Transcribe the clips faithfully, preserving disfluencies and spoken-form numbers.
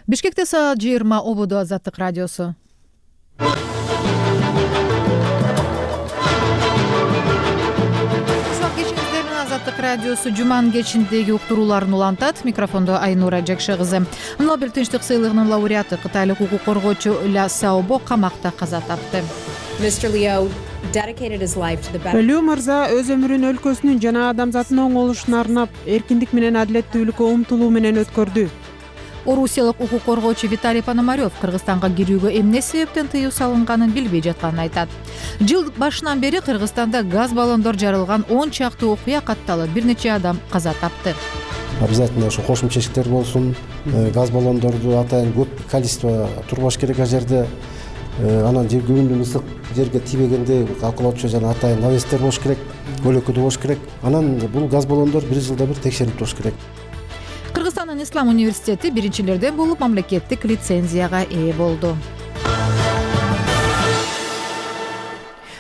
Бишкекте саат жыйырма ободо Азаттык радиосу. Азаттык радиосу жуманын кечиндеги уктурууларын улантат. Микрофондо Айнура Жакшы кызы. Нобель тынчтык сыйлыгынын лауреаты кытайлык укук коргоочу Ля Сяобо камакта каза тапты. Лю мырза өз өмүрүн өлкөсүнүн жана адамзаттын оң болушуна арнап, эркиндик менен адилеттүүлүккө умтулуу менен өткөрдү. Орусиялык укук коргоочу Виталий Пономарев Кыргызстанга кирүүгө эмне себептен тыюу салынганын билбей жатканын айтат. Жыл башынан бери Кыргызстанда газ баллондор жарылган он чакты окуя катталып, бир нече адам каза тапты. Обязательно ошо кошумча эшиктер болсун. Газ баллондорду атайын көп количество турбаш керек ал жерде. Анан жер күбүндүн ысык жерге тийбегенде калкулоочу жана атайын навестер болуш керек, көлөкөдө болуш керек. Анан бул газ баллондор бир жылда бир текшерип туруш керек. Кыргызстандын Ислам университети биринчилерден болуп мамлекеттик лицензияга ээ болду.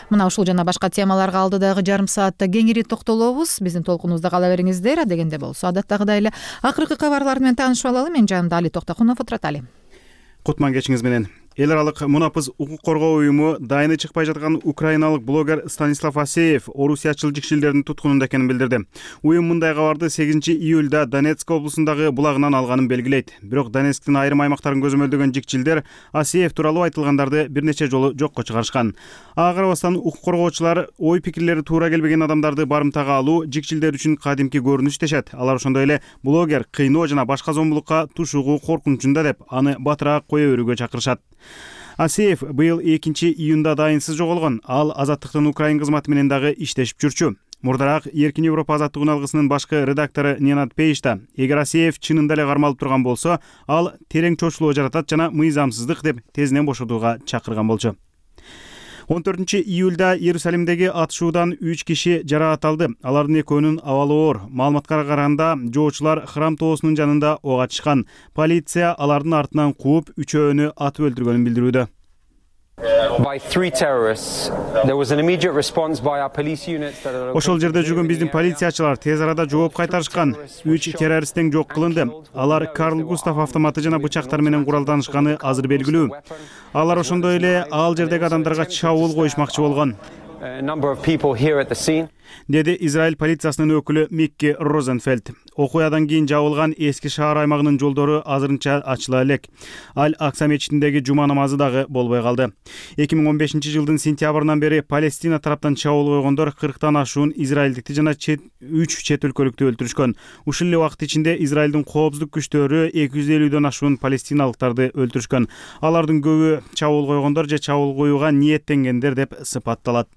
Мына ушул жана башка темаларга алдыдагы жарым саатта кеңири токтолобуз. Биздин толкунубузда кала бериңиздер. Адегенде болсо адаттагыдай эле акыркы кабарлар менен таанышып алалы. Мен жанымда Али Токтокунов отурат. Кутман кечиңиз менен. Эл аралык мунапыз укук коргоо уюму дайыны чыкпай жаткан украиналык блогер Станислав Асеев орусиячыл жикшилдердин туткунунда экенин билдирди. Уюм мындай кабарды сегизинчи июлда Донецк облусундагы булагынан алганын белгилейт. Бирок Донецктин айрым аймактарын көзөмөлдөгөн жикчилдер Асеев тууралуу айтылгандарды бир нече жолу жокко чыгарышкан. Ага карабастан укук коргоочулар ой пикирлери туура келбеген адамдарды барымтага алуу жикчилдер үчүн кадимки көрүнүш дешет. Алар ошондой эле блогер кыйноо жана башка зомбулукка тушуугу коркунучунда деп аны батыраак кое берүүгө чакырышат. Асеев быйыл экинчи июнда дайынсыз жоголгон. Ал Азаттыктын Украин кызматы менен дагы иштешип жүрчү. Мурдараак Эркин Европа азаттык алгысынын башкы редактору Ненад Пейшта эгер Асеев чынында эле кармалып турган болсо, ал терең чочулуу жаратат жана мыйзамсыздык деп тезинен бошотууга чакырган болчу. он төртүнчү июлда Иерусалимдеги атышуудан үч киши жараат алды. Алардын экөөнүн абалы оор. Маалыматка караганда, жоочулар храм тоосунун жанында ок ачышкан. Полиция алардын артынан кууп, үчөөнү атып өлтүргөнүн билдирүүдө. Ошол жерде жүргөн биздин полициячылар тез арада жооп кайтарышкан. Үч террорист тең жок кылынды. Алар Карл Густав автоматы жана бычактар менен куралданышканы азыр белгилүү. Алар ошондой эле ал жердеги адамдарга чабуул коюшмакчы болгон, деди Израиль полициясынын өкүлү Микки Розенфельд. Окуядан кийин жабылган эски шаар аймагынын жолдору азырынча ачыла элек. Аль-Акса мечитиндеги жума намазы дагы болбой калды. эки миң он бешинчи жылдын сентябрынан бери Палестина тараптан чабуул койгондор кырктан ашуун израилдикти жана үч чет өлкөлүктү өлтүрүшкөн. Ушул эле убакыт ичинде Израилдин коопсуздук күчтөрү эки жүз элүүдөн ашуун палестиналыктарды өлтүрүшкөн. Алардын көбү чабуул койгондор же чабуул коюуга ниеттенгендер деп сыпатталат.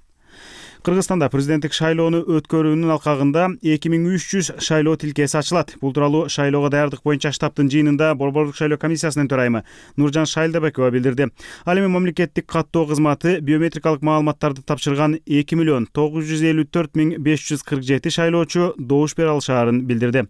Кыргызстанда президенттик шайлоону өткөрүүнүн алкагында эки миң үч жүз шайлоо тилкеси ачылат. Бул тууралуу шайлоого даярдык боюнча штабтын жыйынында Борбордук шайлоо комиссиясынын төрайымы Нуржан Шайлдабекова билдирди. Ал эми мамлекеттик каттоо кызматы биометрикалык маалыматтарды тапшырган эки миллион тогуз жүз элүү төрт миң беш жүз кырк жети шайлоочу добуш бере алышаарын билдирди.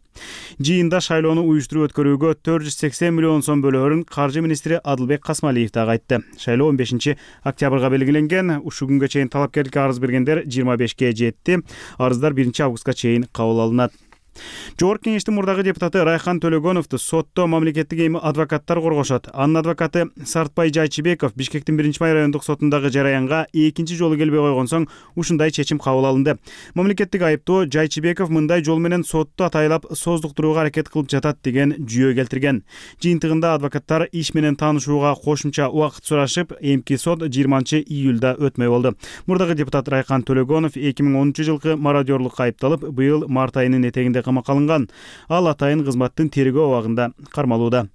Жыйында шайлоону уюштуруп өткөрүүгө төрт жүз сексен миллион сом бөлөөрүн каржы министри Адылбек Касмалиев дагы айтты. Шайлоо он бешинчи октябрга белгиленген. Ушул күнгө чейин талапкерликке арыз бергендер жыйырма бешке жетти. Арыздар биринчи августка чейин кабыл алынат. Жогорку кеңештин мурдагы депутаты Райхан Төлөгөновду сотто мамлекеттик эми адвокаттар коргошот. Анын адвокаты Сартбай Жайчыбеков Бишкектин биринчи май райондук сотундагы жараянга экинчи жолу келбей койгон соң ушундай чечим кабыл алынды. Мамлекеттик айыптоо Жайчыбеков мындай жол менен сотту атайлап создуктурууга аракет кылып жатат деген жүйө келтирген. Жыйынтыгында адвокаттар иш менен таанышууга кошумча убакыт сурашып, эмки сот жыйырманчы июлда өтмөй болду. Мурдагы депутат Райхан Төлөгөнов эки миң онунчу жылкы мародёрлукка айыпталып, быйыл март айынын этегинде камакка алынган. Ал атайын кызматтын тергөө абагында кармалууда.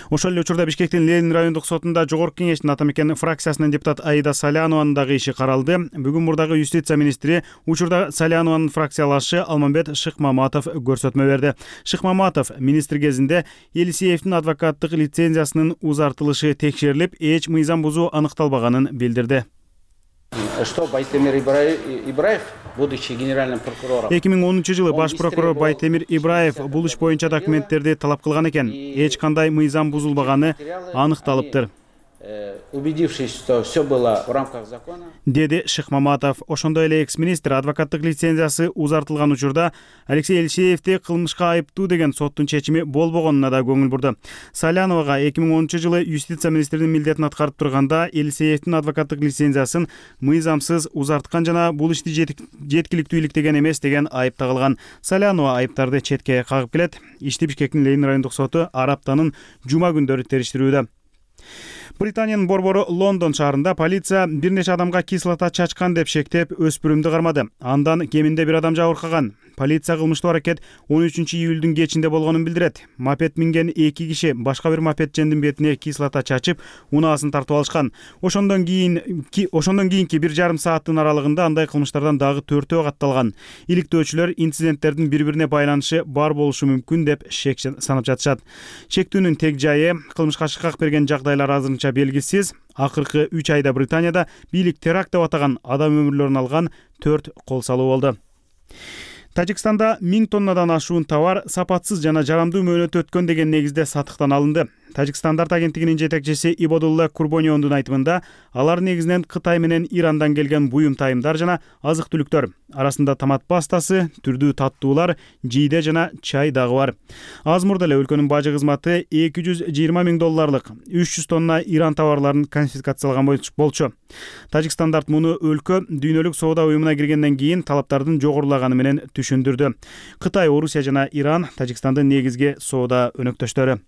Ошол эле учурда Бишкектин Ленин райондук сотунда жогорку кеңештин ата мекен фракциясынын депутат Аида Салянованын дагы иши каралды. Бүгүн мурдагы юстиция министри учурда Салянованын фракциялашы Алмамбет Шыкмаматов көрсөтмө берди. Шыкмаматов министр кезинде Елисеевдин адвокаттык лицензиясынын узартылышы текшерилип, эч мыйзам бузуу аныкталбаганын билдирди. Что Байтемир Ибраев, будучи генеральным прокурором. эки миң онунчу жылы баш прокурор Байтемир Ибраев бул иш боюнча документтерди талап кылган экен. Эч кандай мыйзам бузулбаганы аныкталыптыр. убедившись, что все было в рамках закона, деди Шыкмаматов. Ошондой эле экс-министр адвокаттык лицензиясы узартылган учурда Алексей Елисеевди кылмышка айыптуу деген соттун чечими болбогонуна да көңүл бурду. Саляновага эки миң онунчу жылы юстиция министринин милдетин аткарып турганда Елисеевдин адвокаттык лицензиясын мыйзамсыз узарткан жана бул ишти жеткиликтүү иликтеген эмес деген айып тагылган. Салянова айыптарды четке кагып келет. Ишти Бишкектин Ленин райондук соту ар аптанын жума күндөрү териштирүүдө. Британиянын борбору Лондон шаарында полиция бир нече адамга кислота чачкан деп шектеп өспүрүмдү кармады. Андан кеминде бир адам жабыркаган. Полиция кылмыштуу аракет он үчүнчү июлдун кечинде болгонун билдирет. Мопед минген эки киши башка бир мопедчендин бетине кислота чачып, унаасын тартып алышкан. Ошондон кийин ошондон кийинки бир жарым сааттын аралыгында андай кылмыштардан дагы төртөө катталган. Иликтөөчүлөр инциденттердин бири-бирине байланышы бар болушу мүмкүн деп шек санап жатышат. Шектүүнүн тег жайы, кылмышка шыкак берген жагдайлар азырынча белгисиз. Акыркы үч айда Британияда бийлик теракт деп атаган адам өмүрлөрүн алган төрт кол салуу болду. Тажикстанда миң тоннадан ашуун товар сапатсыз жана жарамдуу мөөнөтү өткөн деген негизде сатыктан алынды. Тажикстандар агенттигинин жетекчиси Ибодулла Курбониондун айтымында, алар негизинен Кытай менен Ирандан келген буюм тайымдар жана азык-түлүктөр. Арасында томат пастасы, түрдүү таттуулар, жийде жана чай дагы бар. Аз мурда эле өлкөнүн бажы кызматы эки жүз жыйырма миң долларлык үч жүз тонна Иран товарларын конфискациялаган болчу. Тажикстандар муну өлкө дүйнөлүк соода уюмуна киргенден кийин талаптардын жогорулаганы менен түшүндүрдү. Кытай, Орусия жана Иран Тажикстандын негизги соода өнөктөштөрү.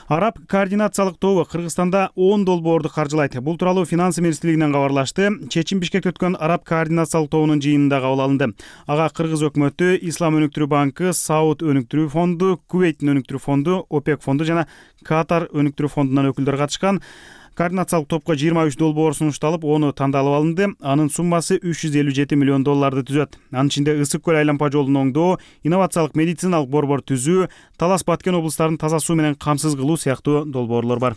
Араб координациялык тобу Кыргызстанда он долбоорду каржылайт. Бул тууралуу Финансы министрлигинен кабарлашты. Чечим Бишкекте өткөн Араб координациялык тобунун жыйынында кабыл алынды. Ага Кыргыз өкмөтү, Ислам өнүктүрүү банкы, Сауд өнүктүрүү фонду, Кувейттин өнүктүрүү фонду, ОПЕК фонду жана Катар өнүктүрүү фондунан өкүлдөр катышкан. Координациялык топко жыйырма үч долбоор сунушталып, onu тандалып алынды. Анын суммасы үч жүз элүү жети миллион долларды түзөт. Анын ичинде Ысык көл айланпа жолун оңдоо, инновациялык медициналык борбор түзүү, Талас Баткен облустарын таза суу менен камсыз кылуу сыяктуу долбоорлор бар.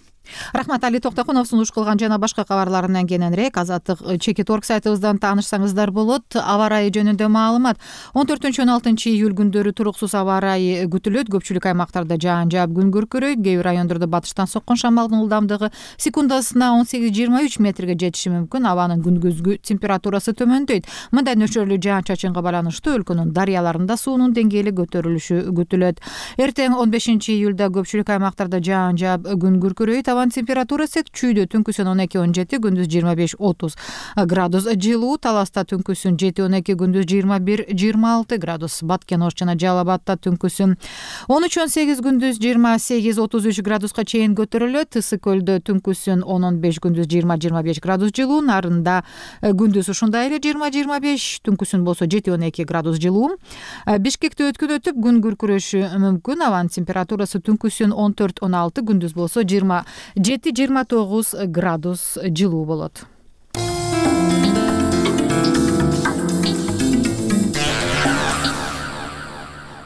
Рахмат, Али Токтокунов сунуш кылган жана башка кабарларынан кененирээк Азаттык чекит орг сайтыбыздан таанышсаңыздар болот. Аба ырайы жөнүндө маалымат. он төртүнчү он алтынчы июль күндөрү туруксуз аба ырайы күтүлөт. Көпчүлүк аймактарда жаан жаап, күн күркүрөйт. Кээ бир райондордо батыштан соккон шамалдын ылдамдыгы секундасына он сегиз жыйырма үч метрге жетиши мүмкүн. Абанын күндүзгү температурасы төмөндөйт. Мындай нөчөрлүү жаан чачынга байланыштуу өлкөнүн дарыяларында суунун деңгээли көтөрүлүшү күтүлөт. Эртең он бешинчи июлда көпчүлүк аймактарда жаан жаап, күн күркүрөйт. Абанын температурасы чүйдө түнкүсүн он эки он жети, күндүз жыйырма беш отуз градус жылуу. Таласта түнкүсүн жети он эки, күндүз жыйырма бир жыйырма алты градус. Баткен, Ош жана Жалал Абадта түнкүсүн он үч он сегиз, күндүз жыйырма сегиз отуз үч градуска чейин көтөрүлөт. Ысык көлдө түнкүсүн он он беш, күндүз жыйырма жыйырма беш градус жылуу. Нарында күндүз ушундай эле жыйырма жыйырма беш, түнкүсүн болсо жети он эки градус жылуу. Бишкекте өткүн өтүп, күн күркүрөшү мүмкүн. Абанын температурасы түнкүсүн он төрт он алты, күндүз болсо жыйырма жети жыйырма тогуз градус жылуу болот.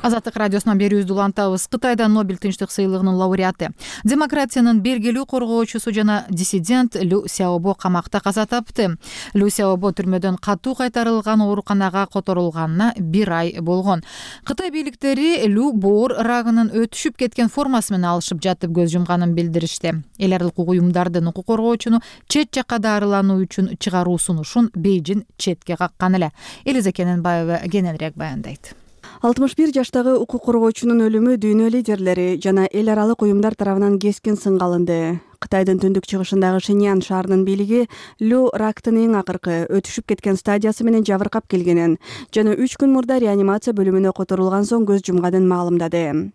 Азаттык радиосунан берүүбүздү улантабыз. Кытайда Нобель тынчтык сыйлыгынын лауреаты, демократиянын бергилүү коргоочусу жана диссидент Лю Сяобо камакта каза тапты. Лю Сяобо түрмөдөн катуу кайтарылган ооруканага которулганына бир ай болгон. Кытай бийликтери Лю боор рагынын өтүшүп кеткен формасы менен алышып жатып көз жумганын билдиришти. Эл аралык уюмдардын укук коргоочуну чет жакка дарылануу үчүн чыгаруу сунушун Бейжин четке каккан эле. Элиза Кененбаева кененирээк баяндайт. алтымыш бир жаштагы укук коргоочунун өлүмү дүйнө лидерлери жана эл аралык уюмдар тарабынан кескин сынга алынды. Кытайдын түндүк чыгышындагы Шиньян шаарынын бийлиги Лю рактын эң акыркы өтүшүп кеткен стадиясы менен жабыркап келгенин жана үч күн мурда реанимация бөлүмүнө которулган соң көз жумганын маалымдады.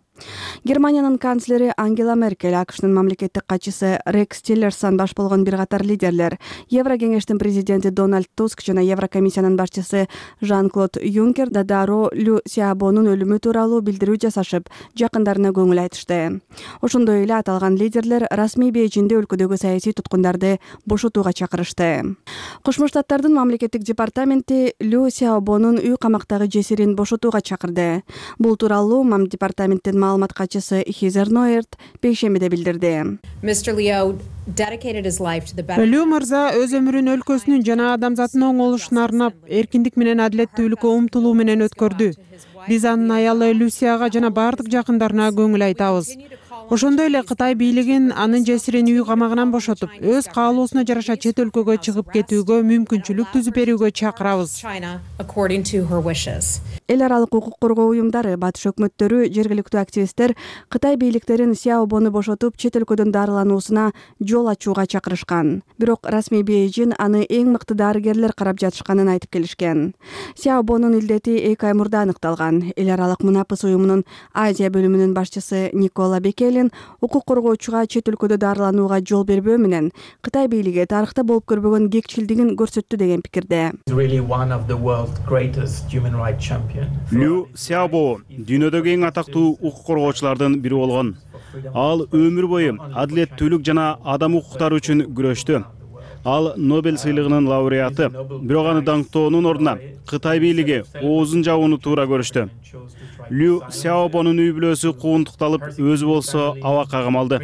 Германиянын канцлери Ангела Меркель, АКШнын мамлекеттик катчысы Рекс Тиллерсон баш болгон бир катар лидерлер, Еврокеңештин президенти Дональд Туск жана Еврокомиссиянын башчысы Жан-Клод Юнкер да дароо Лю Сяобонун өлүмү тууралуу билдирүү жасашып, жакындарына көңүл айтышты. Ошондой эле аталган лидерлер расмий Бейжинде өлкөдөгү саясий туткундарды бошотууга чакырышты. Кошмо Штаттардын мамлекеттик департаменти Лю Сяобонун үй камактагы жесирин бошотууга чакырды. Бул тууралуу мам департаменттин маалымат катчысы Хизер Ноерт бейшембиде билдирди. Лю мырза өз өмүрүн өлкөсүнүн жана адамзаттын оңолушуна арнап, эркиндик менен адилеттүүлүккө умтулуу менен өткөрдү. Биз анын аялы Люсияга жана бардык жакындарына көңүл айтабыз. Ошондой эле Кытай бийлигин анын жесирин үй камагынан бошотуп, өз каалоосуна жараша чет өлкөгө чыгып кетүүгө мүмкүнчүлүк түзүп берүүгө чакырабыз. Эл аралык укук коргоо уюмдары, батыш өкмөттөрү, жергиликтүү активисттер Кытай бийликтерин Сяобону бошотуп, чет өлкөдөн дарылануусуна жол ачууга чакырышкан. Бирок расмий Бейжин аны эң мыкты дарыгерлер карап жатышканын айтып келишкен. Сяобонун илдети эки ай мурда аныкталган. Эл аралык Мунапыс уюмунун Азия бөлүмүнүн башчысы Никола Бекелин укук коргоочуга чет өлкөдө дарыланууга жол бербөө менен Кытай бийлиги тарыхта болуп көрбөгөн кекчилдигин көрсөттү деген пикирде. Лю Сяобо дүйнөдөгү эң атактуу укук коргоочулардын бири болгон. Ал өмүр бою адилеттүүлүк жана адам укуктары үчүн күрөштү. Ал Нобель сыйлыгынын лауреаты. Бирок аны даңктоонун ордуна Кытай бийлиги оозун жабууну туура көрүштү. Лю Сяобонун үй бүлөсү куугунтукталып, өзү болсо абакка камалды.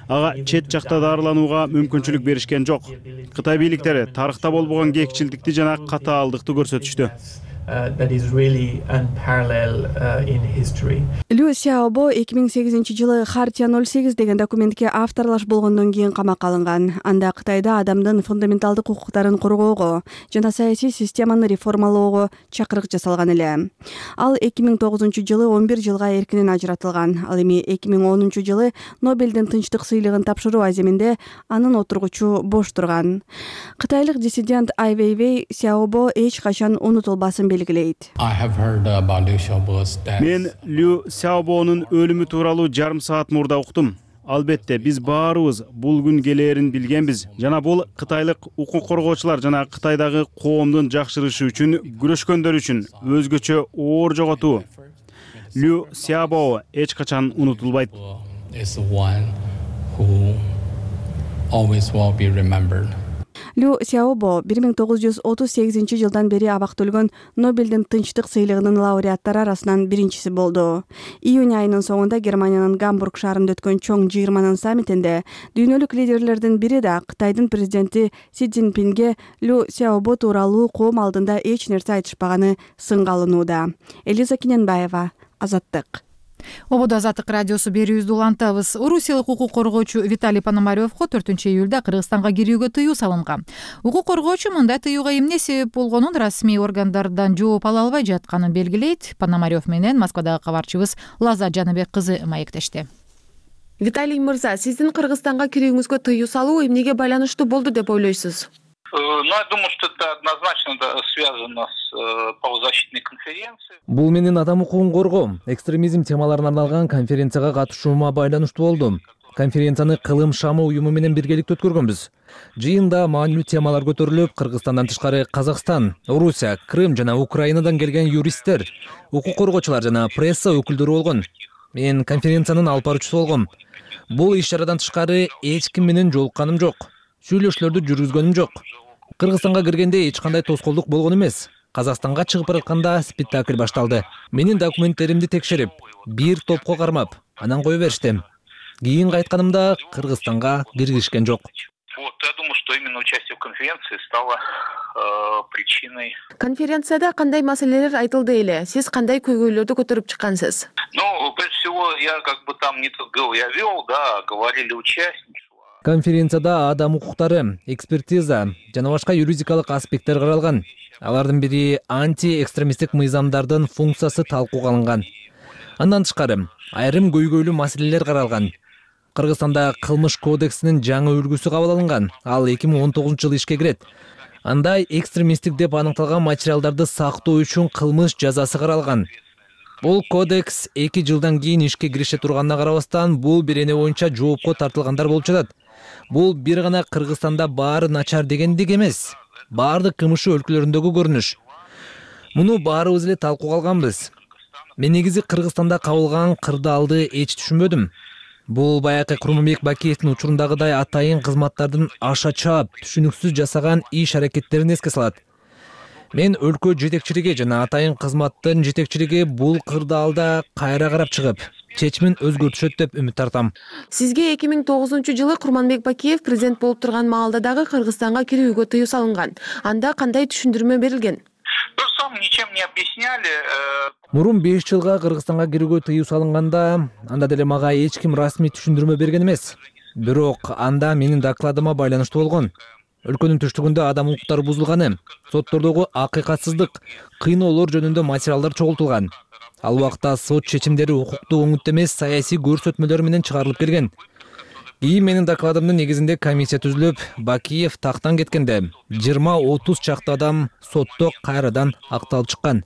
Ага чет жакта дарыланууга мүмкүнчүлүк беришкен жок. Кытай бийликтери тарыхта болбогон кекчилдикти жана катаалдыкты көрсөтүштү. Лю Сяобо эки миң сегизинчи жылы Хартия ноль сегиз деген документке авторлаш болгондон кийин камакка алынган. Анда Кытайда адамдын фундаменталдык укуктарын коргоого жана саясий системаны реформалоого чакырык жасалган эле. Ал эки миң тогузунчу жылы он бир жылга эркинен ажыратылган. Ал эми эки миң онунчу жылы Нобелдин тынчтык сыйлыгын тапшыруу аземинде анын отургучу бош турган. Кытайлык диссидент Ай Вейвей Сяобо эч качан унутулбасын белгилейт. Мен Лю Сяобонун өлүмү тууралуу жарым саат мурда уктум. Албетте, биз баарыбыз бул күн келээрин билгенбиз. Жана бул кытайлык укук коргоочулар жана Кытайдагы коомдун жакшырышы үчүн күрөшкөндөр үчүн өзгөчө оор жоготуу. Лю Сяобо эч качан унутулбайт. Лю Сяобо бир миң тогуз жүз отуз сегизинчи жылдан бери абакта өлгөн Нобелдин тынчтык сыйлыгынын лауреаттары арасынан биринчиси болду. Июнь айынын соңунда Германиянын Гамбург шаарында өткөн чоң жыйырманын саммитинде дүйнөлүк лидерлердин бири да Кытайдын президенти Си Цзиньпинге Лю Сяобо тууралуу коом алдында эч нерсе айтышпаганы сынга алынууда. Элиза Киненбаева, Азаттык. Ободо Азаттык радиосу берүүбүздү улантабыз. Орусиялык укук коргоочу Виталий Пономаревго төртүнчү июлда Кыргызстанга кирүүгө тыюу салынган. Укук коргоочу мындай тыюуга эмне себеп болгонун расмий органдардан жооп ала албай жатканын белгилейт. Пономарев менен Москвадагы кабарчыбыз Лаза Жаныбек кызы маектешти. Виталий мырза, сиздин Кыргызстанга кирүүңүзгө тыюу салуу эмнеге байланыштуу болду деп ойлойсуз? Ну, я думаю, что это однозначно связано с правозащитной конференцией. Бул менин адам укугун коргоо, экстремизм темаларына арналган конференцияга катышуума байланыштуу болду. Конференцияны Кылым шамы уюму менен биргеликте өткөргөнбүз. Жыйында маанилүү темалар көтөрүлүп, Кыргызстандан тышкары Казакстан, Орусия, Крым жана Украинадан келген юристтер, укук коргоочулар жана пресса өкүлдөрү болгон. Мен конференциянын алып баруучусу болгом. Бул иш-чарадан тышкары эч ким менен жолукканым жок. Сүйлөшүүлөрдү жүргүзгөнүм жок. Кыргызстанга киргенде эч кандай тоскоолдук болгон эмес. Казакстанга чыгып баратканда спектакль башталды. Менин документтеримди текшерип, бир топко кармап, анан кое беришти. Кийин кайтканымда Кыргызстанга киргизишкен жок. Вот, я думаю, что именно участие в конференции стало э, причиной. Конференцияда кандай маселелер айтылды эле? Сиз кандай көйгөйлөрдү көтөрүп чыккансыз? Ну, прежде всего, я как бы там не только я вел, да, говорили участники. Конференцияда адам укуктары, экспертиза жана башка юридикалык аспекттер каралган. Алардын бири анти-экстремисттик мыйзамдардын функциясы талкууга алынган. Андан тышкары айрым көйгөйлүү маселелер каралган. Кыргызстанда кылмыш кодексинин жаңы үлгүсү кабыл алынган. Ал эки миң он тогузунчу жылы ишке кирет. Анда экстремисттик деп аныкталган материалдарды сактоо үчүн кылмыш жазасы каралган. Бул кодекс эки жылдан кийин ишке кирише турганына карабастан, бул бирене боюнча жоопко тартылгандар болуп жатат. Бул бир гана Кыргызстанда баары начар дегендик эмес. Баардык кылмыш өлкөлөрүндөгү көрүнүш. Муну баарыбыз эле талкууга алганбыз. Мен негизи Кыргызстанда кабылган кырдаалды эч түшүнбөдүм. Бул баягы Курманбек Бакиевдин учурундагыдай атайын кызматтардын аша чаап, түшүнүксүз жасаган иш аракеттерин эске салат. Мен өлкө жетекчилиги жана атайын кызматтын жетекчилиги бул кырдаалда кайра карап чыгып, чечимин өзгөртүшөт деп үмүт тартам. Сизге эки миң тогузунчу жылы Курманбек Бакиев президент болуп турган маалда дагы Кыргызстанга кирүүгө тыюу салынган. Анда кандай түшүндүрмө берилген? То же самое, ничем не объясняли. Мурун беш жылга Кыргызстанга кирүүгө тыюу салынганда анда деле мага эч ким расмий түшүндүрмө берген эмес. Бирок анда менин докладыма байланыштуу болгон. Өлкөнүн түштүгүндө адам укуктары бузулганы, соттордогу акыйкатсыздык, кыйноолор жөнүндө материалдар чогултулган. Ал убакта сот чечимдери укуктук оңуту эмес, саясий көрсөтмөлөр менен чыгарылып келген. Кийин менин докладымдын негизинде комиссия түзүлүп, Бакиев тактан кеткенде жыйырма отуз чакты адам сотто кайрадан акталып чыккан.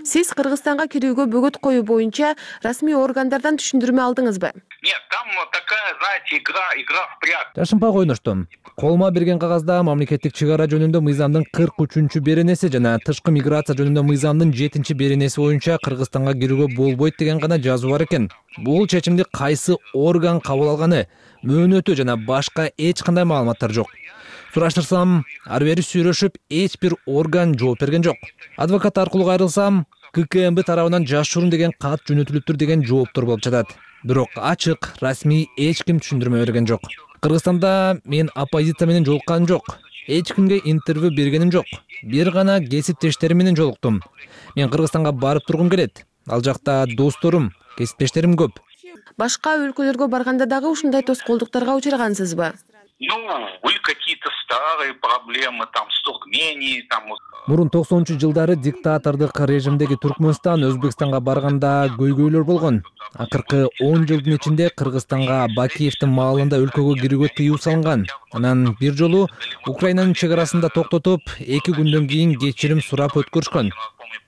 Сиз Кыргызстанга кирүүгө бөгөт коюу боюнча расмий органдардан түшүндүрмө алдыңызбы? Нет, там такая, знаете, игра, игра в прятки. Жашынпак ойноштум. Колума берген кагазда мамлекеттик чек ара жөнүндө мыйзамдын кырк үчүнчү беренеси жана тышкы миграция жөнүндө мыйзамдын жетинчи беренеси боюнча Кыргызстанга кирүүгө болбойт деген гана жазуу бар экен. Бул чечимди кайсы орган кабыл алганы, мөөнөтү жана башка эч кандай маалыматтар жок. Сураштырсам, ары бери сүйлөшүп, эч бир орган жооп берген жок. Адвокат аркылуу кайрылсам, К К М Б тарабынан жашыруун деген кат жөнөтүлүптүр деген жооптор болуп жатат. Бирок ачык, расмий эч ким түшүндүрмө берген жок. Кыргызстанда мен оппозиция менен жолукканым жок. Эч кимге интервью бергеним жок. Бир гана кесиптештерим менен жолуктум. Мен Кыргызстанга барып тургум келет. Ал жакта досторум, кесиптештерим көп. Башка өлкөлөргө барганда дагы ушундай тоскоолдуктарга учурагансызбы? Ну, были какие-то старые проблемы, там, с Туркменией, там... Мурун токсонунчу жылдары диктатордук режимдеги Туркмөнстан Өзбекстанга барганда көйгөйлөр болгон. Акыркы он жылдын ичинде Кыргызстанга Бакиевдин маалында өлкөгө кирүүгө тыюу салынган. Анан бир жолу Украинанын чек арасында токтотуп, эки күндөн кийин кечирим сурап өткөрүшкөн.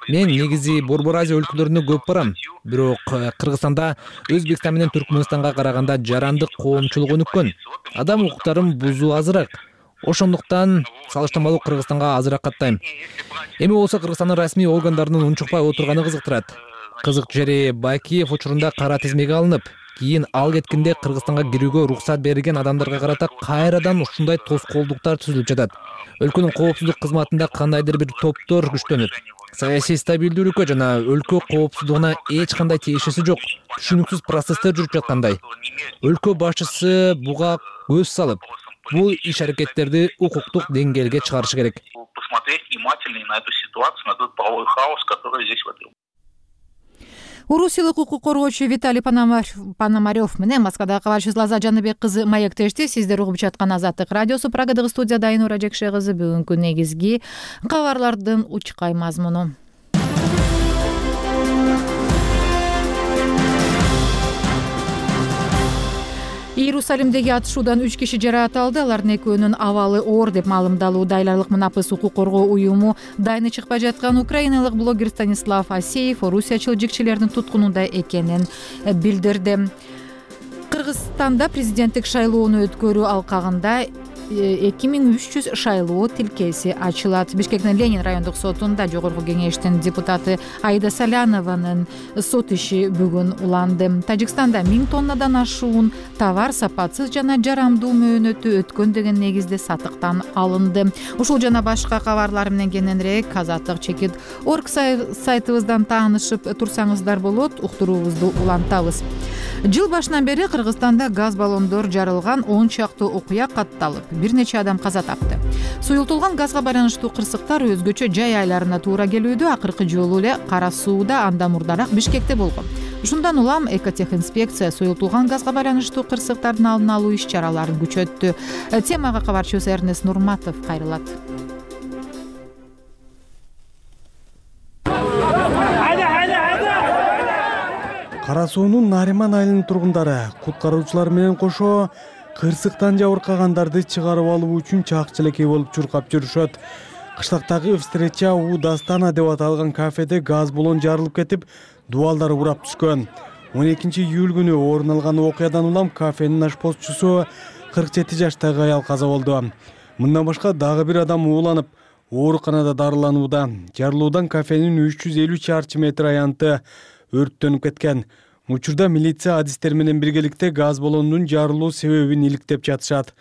Мен негизи Борбор Азия өлкөлөрүнө көп барам. Бирок Кыргызстанда Өзбекстан менен Түркмөнстанга караганда жарандык коомчулук өнүккөн. Адам укуктарын бузуу азыраак. Ошондуктан салыштырмалуу Кыргызстанга азыраак каттайм. Эми болсо Кыргызстандын расмий органдарынын унчукпай отурганы кызыктырат. Кызык жери Бакиев учурунда кара тизмеге алынып, кийин ал кеткенде Кыргызстанга кирүүгө уруксат берилген адамдарга карата кайрадан ушундай тоскоолдуктар түзүлүп жатат. Өлкөнүн коопсуздук кызматында кандайдыр бир топтор күчтөнүп, саясий стабилдүүлүккө жана өлкө коопсуздугуна эч кандай тиешеси жок, түшүнүксүз процесстер жүрүп жаткандай. Өлкө башчысы буга көз салып, бул иш-аракеттерди укуктук деңгээлге чыгарышы керек. Посмотреть внимательно на эту ситуацию, на тот правовой хаос, который здесь в этом. Орусиялык укук коргоочу Виталий Пономарев менен Москвадагы кабарчыбыз Лаза Жаныбек кызы маектешти. Сиздер угуп жаткан Азаттык радиосу. Прагадагы студияда Айнура Жекше кызы. Бүгүнкү негизги кабарлардын учкай мазмуну. Иерусалимдеги атышуудан үч киши жаракат алды. Алардын экөөнүн абалы оор деп маалымдалууда. Айларлык Мунапыс укук коргоо уюму дайыны чыкпай жаткан украиналык блогер Станислав Асеев орусиячыл жикчилердин туткунунда экенин билдирди. Кыргызстанда президенттик шайлоону өткөрүү алкагында эки миң үч жүз шайлоо тилкеси ачылат. Бишкектин Ленин райондук сотунда жогорку кеңештин депутаты Айда Салянованын сот иши бүгүн уланды. Тажикстанда миң тоннадан ашуун товар сапатсыз жана жарамдуу мөөнөтү өткөн деген негизде сатыктан алынды. Ушул жана башка кабарлар менен кененирээк Азаттык чекит орг сайтыбыздан таанышып турсаңыздар болот. Уктуруубузду улантабыз. Жыл башынан бери Кыргызстанда газ баллондор жарылган он чакты окуя катталып, бир нече адам каза тапты. Суюлтулган газга байланыштуу кырсыктар өзгөчө жай айларына туура келүүдө. Акыркы жолу эле Кара сууда, анда мурдараак Бишкекте болгон. Ушундан улам экотехинспекция суюлтулган газга байланыштуу кырсыктардын алдын алуу иш-чараларын күчөттү. Темага кабарчыбыз Эрнест Нурматов кайрылат. Кара суунун Нариман айылынын тургундары куткаруучулар менен кошо кырсыктан жабыркагандарды чыгарып алуу үчүн чак-челекей болуп чуркап жүрүшөт. Кыштактагы встреча у Дастана деп аталган кафеде газ баллон жарылып кетип, дубалдар урап түшкөн. он экинчи июль күнү орун алган окуядан улам кафенин ашпозчусу кырк жети жаштагы аял каза болду. Мындан башка дагы бир адам ууланып, ооруканада дарыланууда. Жарылуудан кафенин үч жүз элүү чарчы метр аянты өрттөнүп кеткен. Учурда милиция адистер менен биргеликте газ баллонунун жарылуу себебин иликтеп жатышат.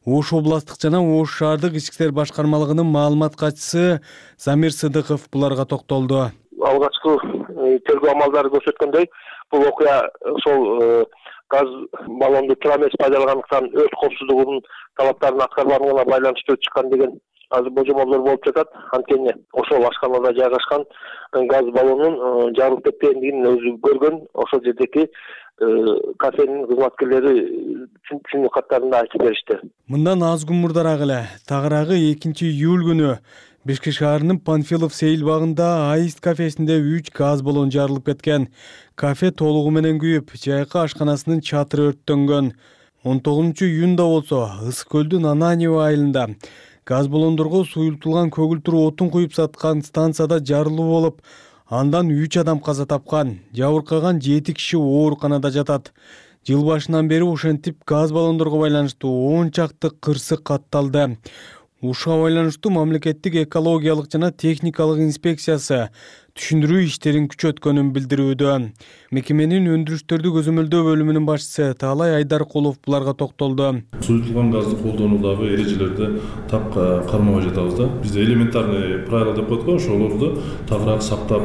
Ош областтык жана Ош шаардык ички иштер башкармалыгынын маалымат катчысы Замир Сыдыков буларга токтолду. Алгачкы тергөө амалдары көрсөткөндөй, бул окуя сол газ баллонду туура эмес пайдалангандыктан өрт коопсуздугунун талаптарын аткарбагандыгына байланыштуу чыккан деген азыр божомолдор болуп жатат. Анткени ошол ашканада жайгашкан газ баллонунун жарылып кеткендигин өзү көргөн, ошол жердеки кафенин кызматкерлери түшүнүү каттарында айтып беришти. Мындан аз күн мурдараак эле тагыраагы экинчи июль күнү Бишкек шаарынын Панфилов сейил багында Аист кафесинде үч газ баллон жарылып кеткен. Кафе толугу менен күйүп, жайкы ашканасынын чатыры өрттөнгөн. он тогузунчу июнда болсо Ысык көлдүн Ананьево айылында газ баллондорго суюлтулган көгүлтүр отун куюп саткан станцияда жарылуу болуп, андан үч адам каза тапкан, жабыркаган жети киши ооруканада жатат. Жыл башынан бери ошентип газ баллондорго байланыштуу он чакты кырсык катталды. Ушуга байланыштуу мамлекеттик экологиялык жана техникалык инспекциясы түшүндүрүү иштерин күчөткөнүн билдирүүдө. Мекеменин өндүрүштөрдү көзөмөлдөө бөлүмүнүн башчысы Таалай Айдаркулов буларга токтолду. Суюлтулган газды колдонуудагы эрежелерди так кармабай жатабыз да. Бизде элементарный правила деп коет го, ошолорду тагыраак сактап,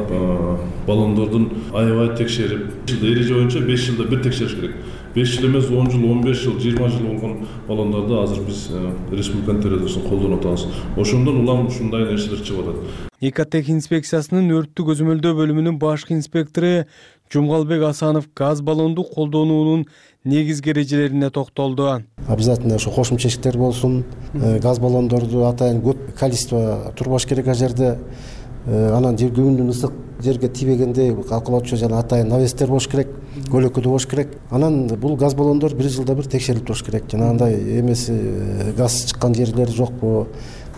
баллондордун аябай текшерип, эреже боюнча беш жылда бир текшериш керек. беш жыл эмес, он жыл, он беш жыл, жыйырма жыл болгон баллондорду азыр биз республиканын территориясында колдонуп атабыз. Ошондон улам ушундай нерселер чыгып атат. Экотех инспекциясынын өрттү көзөмөлдөө бөлүмүнүн башкы инспектору Жумгалбек Асанов газ баллонду колдонуунун негизги эрежелерине токтолду. Обязательно ошо кошумча эшиктер болсун, газ баллондорду атайын көп количество турбаш керек ал жерде. Анан жер күбүндүн ысык жерге тийбегенде калкалоочу жана атайын навестер болуш керек, көлөкөдө болуш керек. Анан бул газ баллондор бир жылда бир текшерилип туруш керек. Жанагындай эмеси газ чыккан жерлер жокпу,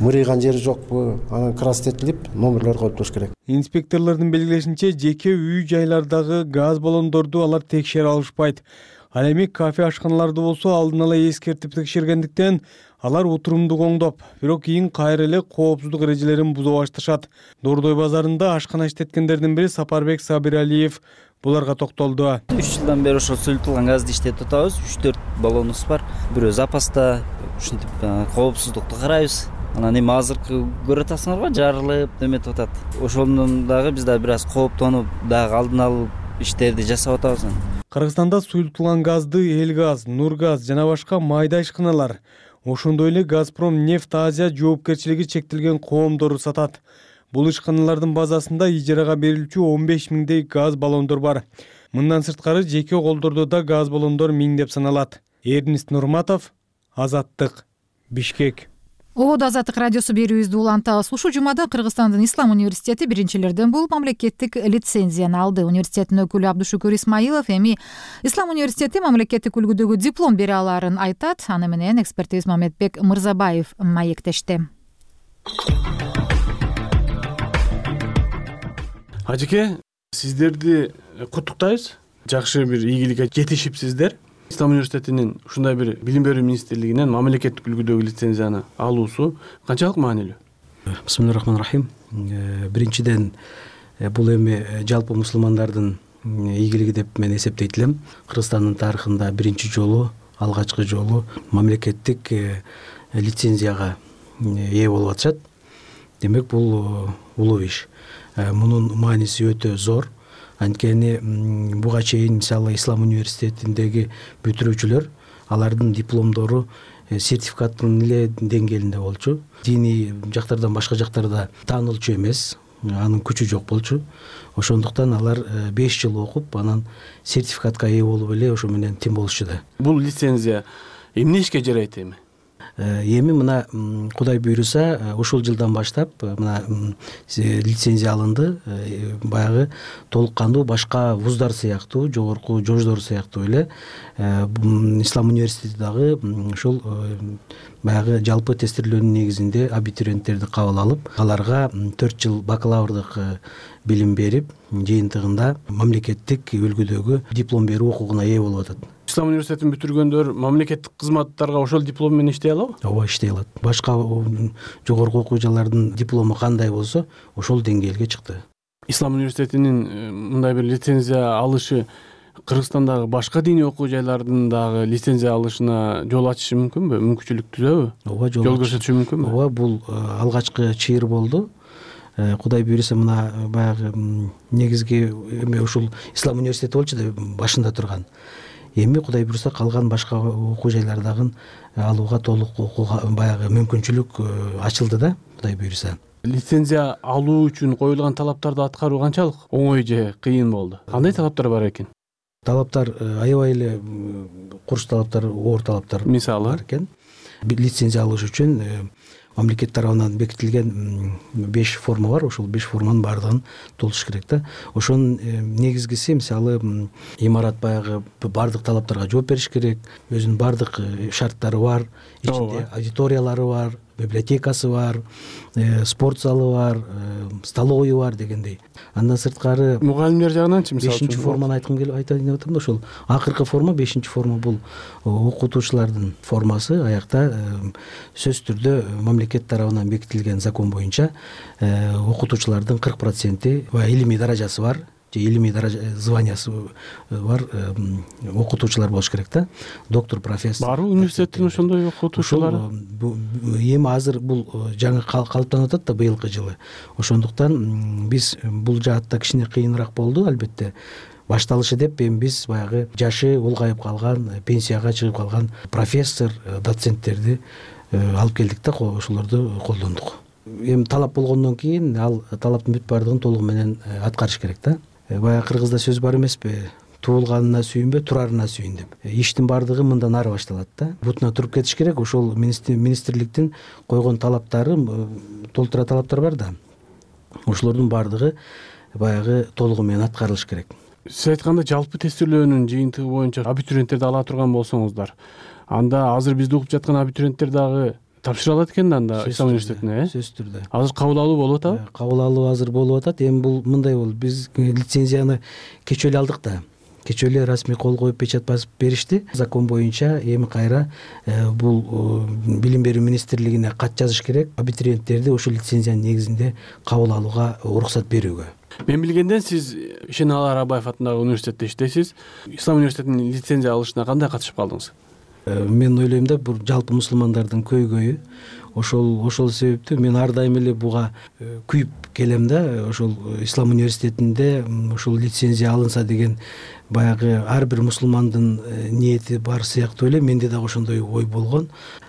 мырыйган жери жокпу, анан крастетилип номерлер коюп туруш керек. Инспекторлордун белгилешинче, жеке үй жайлардагы газ баллондорду алар текшере алышпайт. Ал эми кафе ашканаларды болсо алдын ала эскертип текшергендиктен алар отурумду коңдоп, бирок кийин кайра эле коопсуздук эрежелерин бузуп башташат. Дордой базарында ашкана иштеткендердин бири Сапарбек Сабиралиев буларга токтолду. үч жылдан бери ошол суюлтулган газды иштетип атабыз. үч төрт баллонубуз бар. Бирөө запаста, ушинтип коопсуздукту карайбыз. Анан эми азыркы көрүп атасыңарбы, жарылып эметип атат. Ошондон дагы биз да бир аз кооптонуп, дагы алдын алып иштерди жасап атабыз. Кыргызстанда суюлтулган газды Элгаз, Нургаз жана башка майда ишканалар, ошондой эле Газпром Нефть Азия жоопкерчилиги чектелген коомдору сатат. Бул ишканалардын базасында ижарага берилчү он беш миңдей газ баллондор бар. Мындан сырткары жеке колдордо да газ баллондор миңдеп саналат. Эрнист Нурматов, Азаттык, Бишкек. Ободо Азаттык радиосу берүүбүздү улантабыз. Ушул жумада Кыргызстандын Ислам университети биринчилерден болуп мамлекеттик лицензияны алды. Университеттин өкүлү Абдушукур Исмаилов эми Ислам университети мамлекеттик үлгүдөгү диплом бере алаарын айтат. Аны менен экспертибиз Мамедбек Мырзабаев маектешти. Ажеке, сиздерди куттуктайбыз. Жакшы бир ийгиликке жетишипсиздер. Ислам университетинин ушундай бир билим берүү министрлигинен мамлекеттик үлгүдөгү лицензияны алуусу канчалык маанилүү? Бисмиллахиррахманиррахим. Биринчиден бул эми жалпы мусулмандардын ийгилиги деп мен эсептейт элем. Кыргызстандын тарыхында биринчи жолу, алгачкы жолу мамлекеттик лицензияга ээ болуп атышат. Демек бул улуу иш. Мунун мааниси өтө зор. Анткени буга чейин мисалы Ислам университетиндеги бүтүрүүчүлөр алардын дипломдору сертификаттын эле деңгээлинде болчу. Диний жактардан башка жактарда таанылчу эмес, анын күчү жок болчу. Ошондуктан алар беш жыл окуп, анан сертификатка ээ болуп эле ошо менен тим болушчу. Бул лицензия эмне ишке жарайт эми? Эми мына Кудай буйруса ушул жылдан баштап мына лицензия алынды. Баягы толук кандуу башка вуздар сыяктуу, жогорку жождор сыяктуу эле Ислам университети дагы ушул баягы жалпы тестирлөөнүн негизинде абитуриенттерди кабыл алып, аларга төрт жыл бакалаврдык билим берип, жыйынтыгында мамлекеттик үлгүдөгү диплом берүү укугуна ээ болуп атат. Ислам университетин бүтүргөндөр мамлекеттик кызматтарга ошол диплом менен иштей алабы? Ооба, иштей алат. Башка жогорку окуу жайлардын диплому кандай болсо, ошол деңгээлге чыкты. Ислам университетинин мындай бир лицензия алышы Кыргызстандагы башка диний окуу жайлардын дагы лицензия алышына жол ачышы мүмкүнбү? Мүмкүнчүлүк түзөбү? Ооба, жол көрсөтүшү мүмкүнбү? Ооба, бул алгачкы чыйыр болду. Кудай буйруса мына баягы негизги эме ушул Ислам университети болчу да башында турган. эми кудай буюрса калган башка окуу жайлардагы алууга толук окууга баягы мүмкүнчүлүк ачылды да, кудай буюрса. Лицензия алуу үчүн коюлган талаптарды аткаруу канчалык оңой же кыйын болду? Кандай талаптар бар экен? Талаптар аябай эле курч талаптар, оор талаптар мисалы бар экен. Лицензия алыш үчүн мамлекет тарабынан бекитилген беш форма бар. Ошол беш форманын баардыгын толтуруш керек да. Ошонун негизгиси мисалы имарат баягы баардык талаптарга жооп бериш керек. Өзүнүн баардык шарттары бар. Ичинде аудиториялары бар, библиотекасы бар, спорт залы бар, столовойу бар дегендей. Андан сырткары мугалимдер жагынанчы мисалы бешинчи форманы айткым келип айтайын деп атам да, ошол акыркы форма, бешинчи форма бул окутуучулардын формасы. Аякта сөзсүз түрдө мамлекет тарабынан бекитилген закон боюнча окутуучулардын кырк проценти илимий даражасы бар, же илимий даража званиясы бар окутуучулар болуш керек да. Доктор, профессор. Барбы университеттин ошондой окутуучулары? Эми азыр бул жаңы калыптанып атат да быйылкы жылы. Ошондуктан биз бул жаатта кичине кыйыныраак болду албетте. Башталышы деп эми биз баягы жашы улгайып калган, пенсияга чыгып калган профессор, доценттерди алып келдик да, ошолорду колдондук. Эми талап болгондон кийин ал талаптын бүт баардыгын толугу менен аткарыш керек да. Баягы кыргызда сөз бар эмеспи? Туулганына сүйүнбө, турарына сүйүн деп. Иштин баардыгы мындан ары башталат да. Бутуна туруп кетиш керек. Ошол министрликтин койгон талаптары, толтура талаптар бар да. Ошолордун баардыгы баягы толугу менен аткарылыш керек. Сиз айтканда жалпы тестөөлөөнүн жыйынтыгы боюнча абитуриенттерди ала турган болсоңуздар, анда азыр бизди угуп жаткан абитуриенттер дагы тапшыра алат экен да анда Ислам университетине, э? Сөзсүз түрдө. Азыр кабыл алуу болуп атабы? Кабыл алуу азыр болуп атат. Эми бул мындай болду. Биз лицензияны кечөө эле алдык да. Кечөө эле расмий кол коюп печать басып беришти. Закон боюнча эми кайра бул билим берүү министрлигине кат жазыш керек. Абитуриенттерди ошол лицензиянын негизинде кабыл алууга уруксат берүүгө. Мен билгенден сиз Ишенали Арабаев атындагы университетте иштейсиз. Ислам университетинин лицензия алышына кандай катышып калдыңыз? Мен ойлойм да, бул жалпы мусулмандардын көйгөйү. Ошол ошол себептен мен ар дайым эле буга күйүп келем да. Ошол Ислам университетинде ошол лицензия алынса деген баягы ар бир мусулмандын ниети бар сыяктуу эле менде дагы ошондой ой болгон.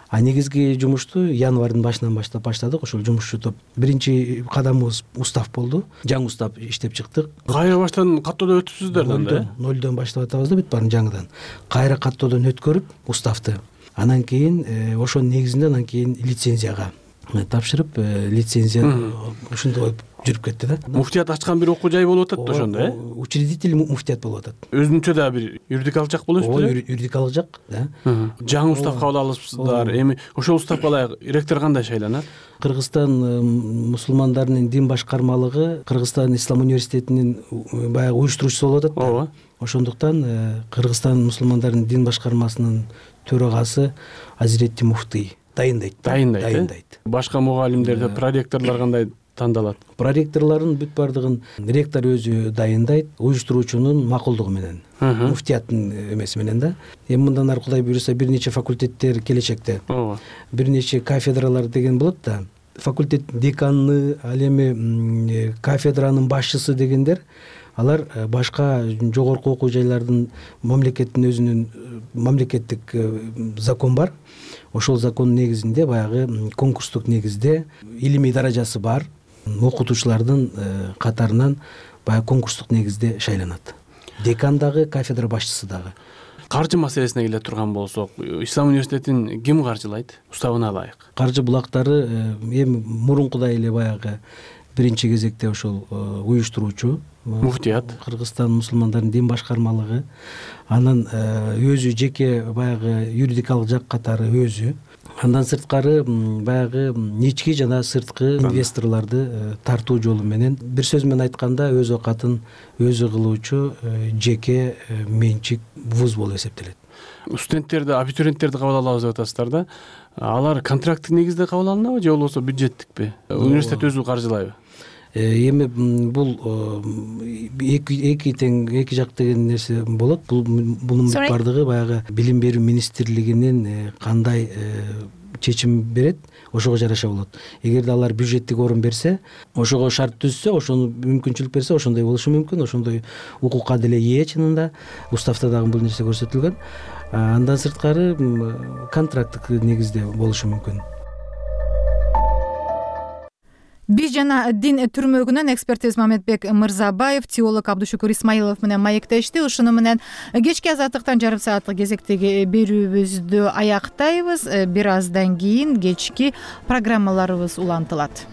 А негизги жумушту январдын башынан баштап баштадык. Ошол жумушчу топ биринчи кадамыбыз устав болду. Жаңы устав иштеп чыктык. Кайра баштан каттоодон өтүпсүздөр да анда? Нолдон баштап атабыз да бүт баарын жаңыдан. Кайра каттоодон өткөрүп уставты. Анан кийин ошонун негизинде анан кийин лицензияга тапшырып, лицензия ушундай жүрүп кетти да. Муфтият ачкан бир окуу жай болуп атат да ошондо, э? Учредитель муфтият болуп атат. Өзүнчө да бир юридикалык жак болуп атпайбы? Ооба, юридикалык жак, да. Жаңы устав кабыл алыпсыздар. Эми ошол уставга ылайык ректор кандай шайланат? Кыргызстан мусулмандарынын дин башкармалыгы Кыргызстан Ислам университетинин баягы уюштуруучусу болуп атат да. Ооба. Ошондуктан Кыргызстан мусулмандарынын дин башкармасынын төрагасы Азиретти муфтый дайындайт. Дайындайт. Башка мугалимдер, проректорлор кандай тандалат? Проректорлордун бүт баардыгын ректор өзү дайындайт, уюштуруучунун макулдугу менен, муфтияттын эмеси менен да. Эми мындан ары кудай буюрса бир нече факультеттер келечекте. Ооба. Бир нече кафедралар деген болот да. Факультет деканы, ал эми кафедранын башчысы дегендер, алар башка жогорку окуу жайлардын мамлекеттин өзүнүн мамлекеттик закон бар. Ошол закондун негизинде баягы конкурстук негизде илимий даражасы бар окутуучулардын катарынан баягы конкурстук негизде шайланат. Декан дагы, кафедра башчысы дагы. Каржы маселесине келе турган болсок, Ислам университетин ким каржылайт уставына ылайык? Каржы булактары эми мурункудай эле баягы биринчи кезекте ошол уюштуруучу муфтият, Кыргызстан мусулмандарынын дин башкармалыгы, анан өзү жеке баягы юридикалык жак катары өзү. Андан сырткары баягы ички жана сырткы инвесторлорду тартуу жолу менен, бир сөз менен айтканда, өз оокатын өзү кылуучу жеке менчик вуз болуп эсептелет. Студенттерди, абитуриенттерди кабыл алабыз деп атасыздар да. Алар контракттык негизде кабыл алынабы же болбосо бюджеттикпи? Университет өзү каржылайбы? Эми бул эки эки тең эки жак деген нерсе болот. Бул бунун баардыгы баягы билим берүү министрлигинин кандай чечим берет, ошого жараша болот. Эгерде алар бюджеттик орун берсе, ошого шарт түзсө, ошону мүмкүнчүлүк берсе, ошондой болушу мүмкүн. Ошондой укукка деле ээ чынында. Уставта дагы бул нерсе көрсөтүлгөн. Андан сырткары контракттык негизде болушу мүмкүн. Биз жана дин түрмөгүнөн эксперт Мамедбек Мырзабаев, теолог Абдушукур Исмаилов менен маектешти. Ушуну менен кечки азаттыктан жарым сааттык кезектеги берүүбүздү аяктайбыз. Бир аздан кийин кечки программаларыбыз улантылат.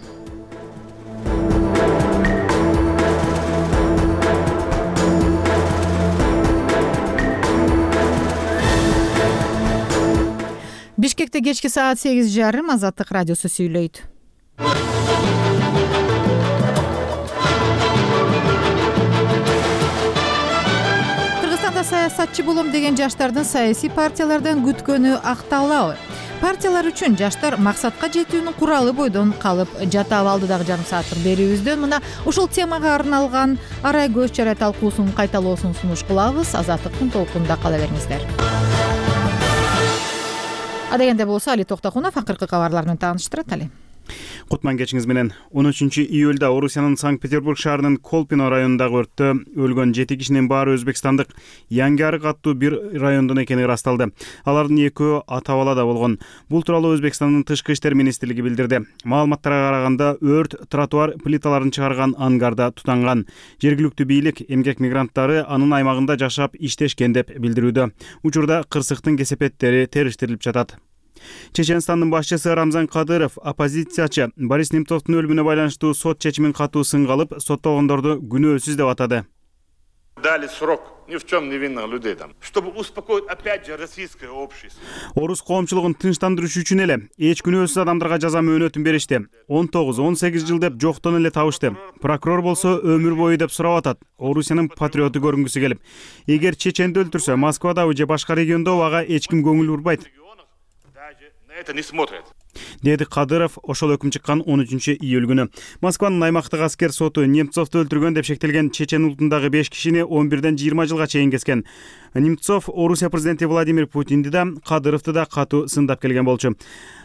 Бишкекте кечки саат сегиз жарым Азаттык радиосу сүйлөйт. Кыргызстанда саясатчы болом деген жаштардын саясий партиялардан күткөнү акталабы? Партиялар үчүн жаштар максатка жетүүнүн куралы бойдон калып жатабы? Алдыдагы жарым сааттык берүүбүздөн мына ушул темага арналган арай көз чарай талкуусунун кайталоосун сунуш кылабыз. Азаттыктын толкунунда кала бериңиздер. Адегенде болсо Али Токтокунов акыркы кабарлар менен тааныштырат. Али. Кутман кечиңиз менен. он үчүнчү июлда Орусиянын Санкт-Петербург шаарынын Колпино районундагы өрттө өлгөн жети кишинин баары өзбекстандык Яңгярык аттуу бир райондон экени ырасталды. Алардын экөө ата балада болгон. Бул тууралуу Өзбекстандын тышкы иштер министрлиги билдирди. Маалыматтарга караганда өрт тротуар плиталарын чыгарган ангарда тутанган. Жергиликтүү бийлик эмгек мигранттары анын аймагында жашап иштешкен деп билдирүүдө. Учурда кырсыктын кесепеттери териштирилип жатат. Чеченстандын башчысы Рамзан Кадыров оппозициячы Борис Немцовдун өлүмүнө байланыштуу сот чечимин катуу сынга алып, соттолгондорду күнөөсүз деп атады. Дали срок ни в чем невинных людей там, чтобы успокоить опять же российское общество. Орус коомчулугун тынчтандырыш үчүн эле эч күнөөсүз адамдарга жаза мөөнөтүн беришти. он тогуз он сегиз жыл деп жоктон эле табышты. Прокурор болсо өмүр бою деп сурап атат. Орусиянын патриоту көрүнгүсү келип. Эгер чеченди өлтүрсө, Москвадабы же башка региондо ага эч ким көңүл бурбайт. Это не смотрят. Деди Кадыров ошол өкүм чыккан он үчүнчү июль күнү. Москванын аймактык аскер соту Немцовду өлтүргөн деп шектелген чечен улутундагы беш кишини он бирден жыйырма жылга чейин кескен. Немцов Орусия президенти Владимир Путинди да, Кадыровду да катуу сындап келген болчу.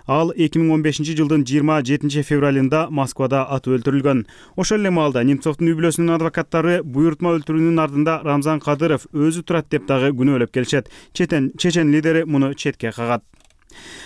Ал эки миң он бешинчи жылдын жыйырма жетинчи февралында Москвада атып өлтүрүлгөн. Ошол эле маалда Немцовдун үй бүлөсүнүн адвокаттары буйртма өлтүрүүнүн ардында Рамзан Кадыров өзү турат деп дагы күнөөлөп келишет. Чечен чечен лидери муну четке кагат.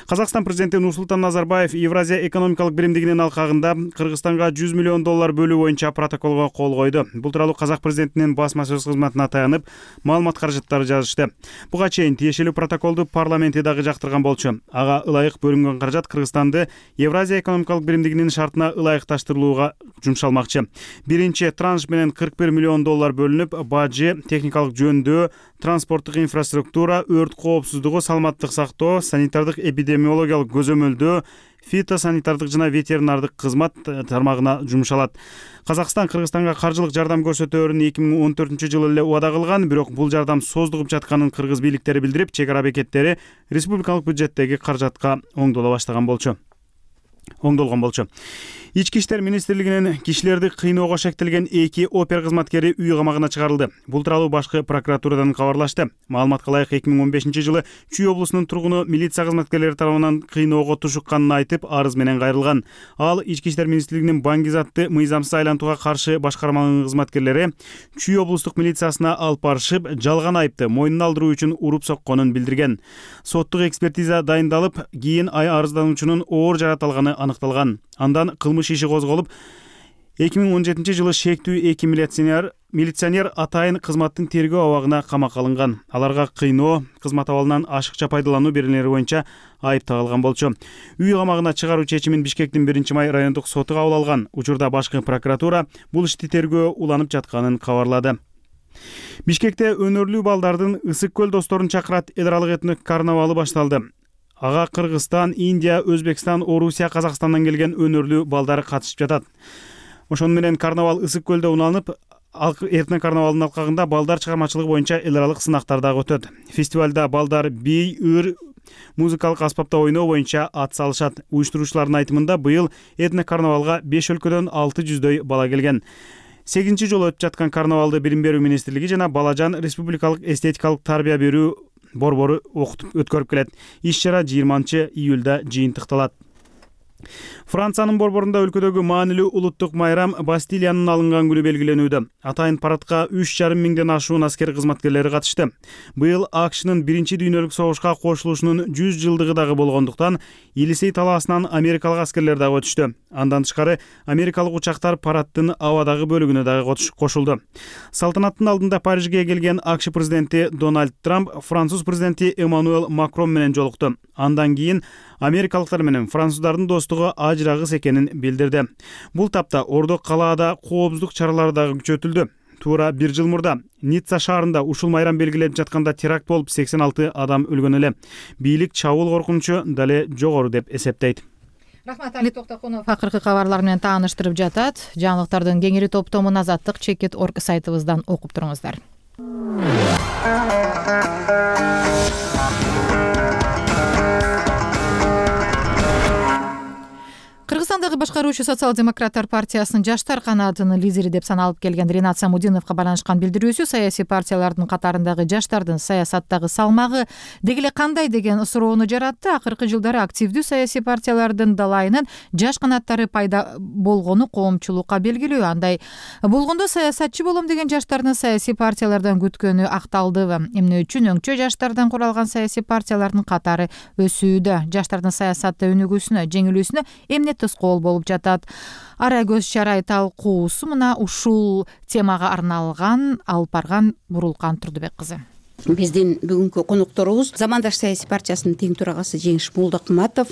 Казакстан президенти Нурсултан Назарбаев Евразия экономикалык биримдигинин алкагында Кыргызстанга жүз миллион доллар бөлүү боюнча протоколго кол койду. Бул тууралуу Казак президентинин басма сөз кызматына таянып, маалымат каражаттары жазышты. Буга чейин тиешелүү протоколду парламенти дагы жактырган болчу. Ага ылайык бөлүнгөн каражат Кыргызстанды Евразия экономикалык биримдигинин шартына ылайыкташтырылууга жумшалмакчы. Биринчи транш менен кырк бир миллион доллар бөлүнүп, бажы, техникалык жөндөө, транспорттук инфраструктура, өрт коопсуздугу, саламаттык сактоо, санитардык эпидемиологиялык көзөмөлдөө, фитосанитардык жана ветеринардык кызмат тармагына жумшалат. Казакстан Кыргызстанга каржылык жардам көрсөтөөрүн эки миң он төртүнчү жылы эле убада кылган, бирок бул жардам создугуп жатканын кыргыз бийликтери билдирип, чек ара бекеттери республикалык бюджеттеги каражатка оңдола баштаган болчу. оңдолгон болчу. Ички иштер министрлигинин кишилерди кыйноого шектелген эки опер кызматкери үй камагына чыгарылды. Бул тууралуу башкы прокуратурадан кабарлашты. Маалыматка ылайык эки миң он бешинчи жылы Чүй облусунун тургуну милиция кызматкерлери тарабынан кыйноого тушукканын айтып, арыз менен кайрылган. Ал ички иштер министрлигинин Баңгизатты мыйзамсыз айлантууга каршы башкарманын кызматкерлери Чүй облустук милициясына алып барышып, жалган айыпты мойнуна алдыруу үчүн уруп сокконун билдирген. Соттук экспертиза дайындалып, кийин арыздануучунун оор жараталганы аныкталган. Андан кылмыш иши козголуп, эки миң он жетинчи жылы шектүү эки милиционер милиционер атайын кызматтын тергөө абагына камакка алынган. Аларга кыйноо, кызмат абалынан ашыкча пайдалануу беренелери боюнча айып тагылган болчу. Үй камагына чыгаруу чечимин Бишкектин биринчи май райондук соту кабыл алган. Учурда башкы прокуратура бул ишти тергөө уланып жатканын кабарлады. Бишкекте өнөрлүү балдардын Ысык көл досторун чакырат эл аралык этник карнавалы башталды. Ага Кыргызстан, Индия, Өзбекстан, Орусия, Казакстандан келген өнөрлүү балдары катышып жатат. Ошону менен карнавал Ысык көлдө унаанып, этник карнавалдын алкагында балдар чыгармачылыгы боюнча эл аралык сынактар дагы өтөт. Фестивалда балдар бий, ыр, музыкалык аспапта ойноо боюнча ат салышат. Уюштуруучулардын айтымында быйыл этник карнавалга беш өлкөдөн алты жүздөй бала келген. сегизинчи жолу өтүп жаткан карнавалды Билим берүү министрлиги жана Балажан республикалык эстетикалык тарбия берүү борбору окутуп өткөрүп келет. Иш чара жыйырманчы июлда жыйынтыкталат. Франциянын борборунда өлкөдөгү маанилүү улуттук майрам Бастилиянын алынган күнү белгиленүүдө. Атайын парадка үч жарым миңден ашуун аскер кызматкерлери катышты. Быйыл АКШнын биринчи дүйнөлүк согушка кошулушунун жүз жылдыгы дагы болгондуктан Елисей талаасынан америкалык аскерлер дагы өтүштү. Андан тышкары америкалык учактар парадтын абадагы бөлүгүнө дагы кошулду. Салтанаттын алдында Парижге келген АКШ президенти Дональд Трамп француз президенти Эммануэл Макрон менен жолукту. Андан кийин америкалыктар менен француздардын достугу ажырагыс экенин билдирди. Бул тапта Ордук калаада коопсуздук чаралары дагы күчөтүлдү. Туура бир жыл мурда Ницца шаарында ушул майрам белгилеп жатканда теракт болуп сексен алты адам өлгөн эле. Бийлик чабуул коркунучу дале жогору деп эсептейт. Рахмат, Али Токтокунов акыркы кабарлар менен тааныштырып жатат. Жаңылыктардын кеңири топтомун азаттык чекит точка орг сайтыбыздан окуп туруңуздар. Кыргызстандагы башкаруучу социал-демократтар партиясынын жаштар канаатынын лидери деп саналып келген Ринат Самудиновго байланышкан билдирүүсү саясий партиялардын катарындагы жаштардын саясаттагы салмагы деги эле кандай деген суроону жаратты. Акыркы жылдары активдүү саясий партиялардын далайынын жаш канаттары пайда болгону коомчулукка белгилүү. Андай болгондо саясатчы болом деген жаштардын саясий партиялардан күткөнү акталдыбы? Эмне үчүн өңчө жаштардан куралган саясий партиялардын катары өсүүдө? Жаштардын саясатта өнүгүүсүнө, жеңилүүсүнө эмне тоскоол болуп жатат? Ара көз чарай талкуусу мына ушул темага арналган алып барган Бурулкан Турдубек кызы. Биздин бүгүнкү конокторубуз Замандаш саясий партиясынын тең төрагасы Жеңиш Молдокматов,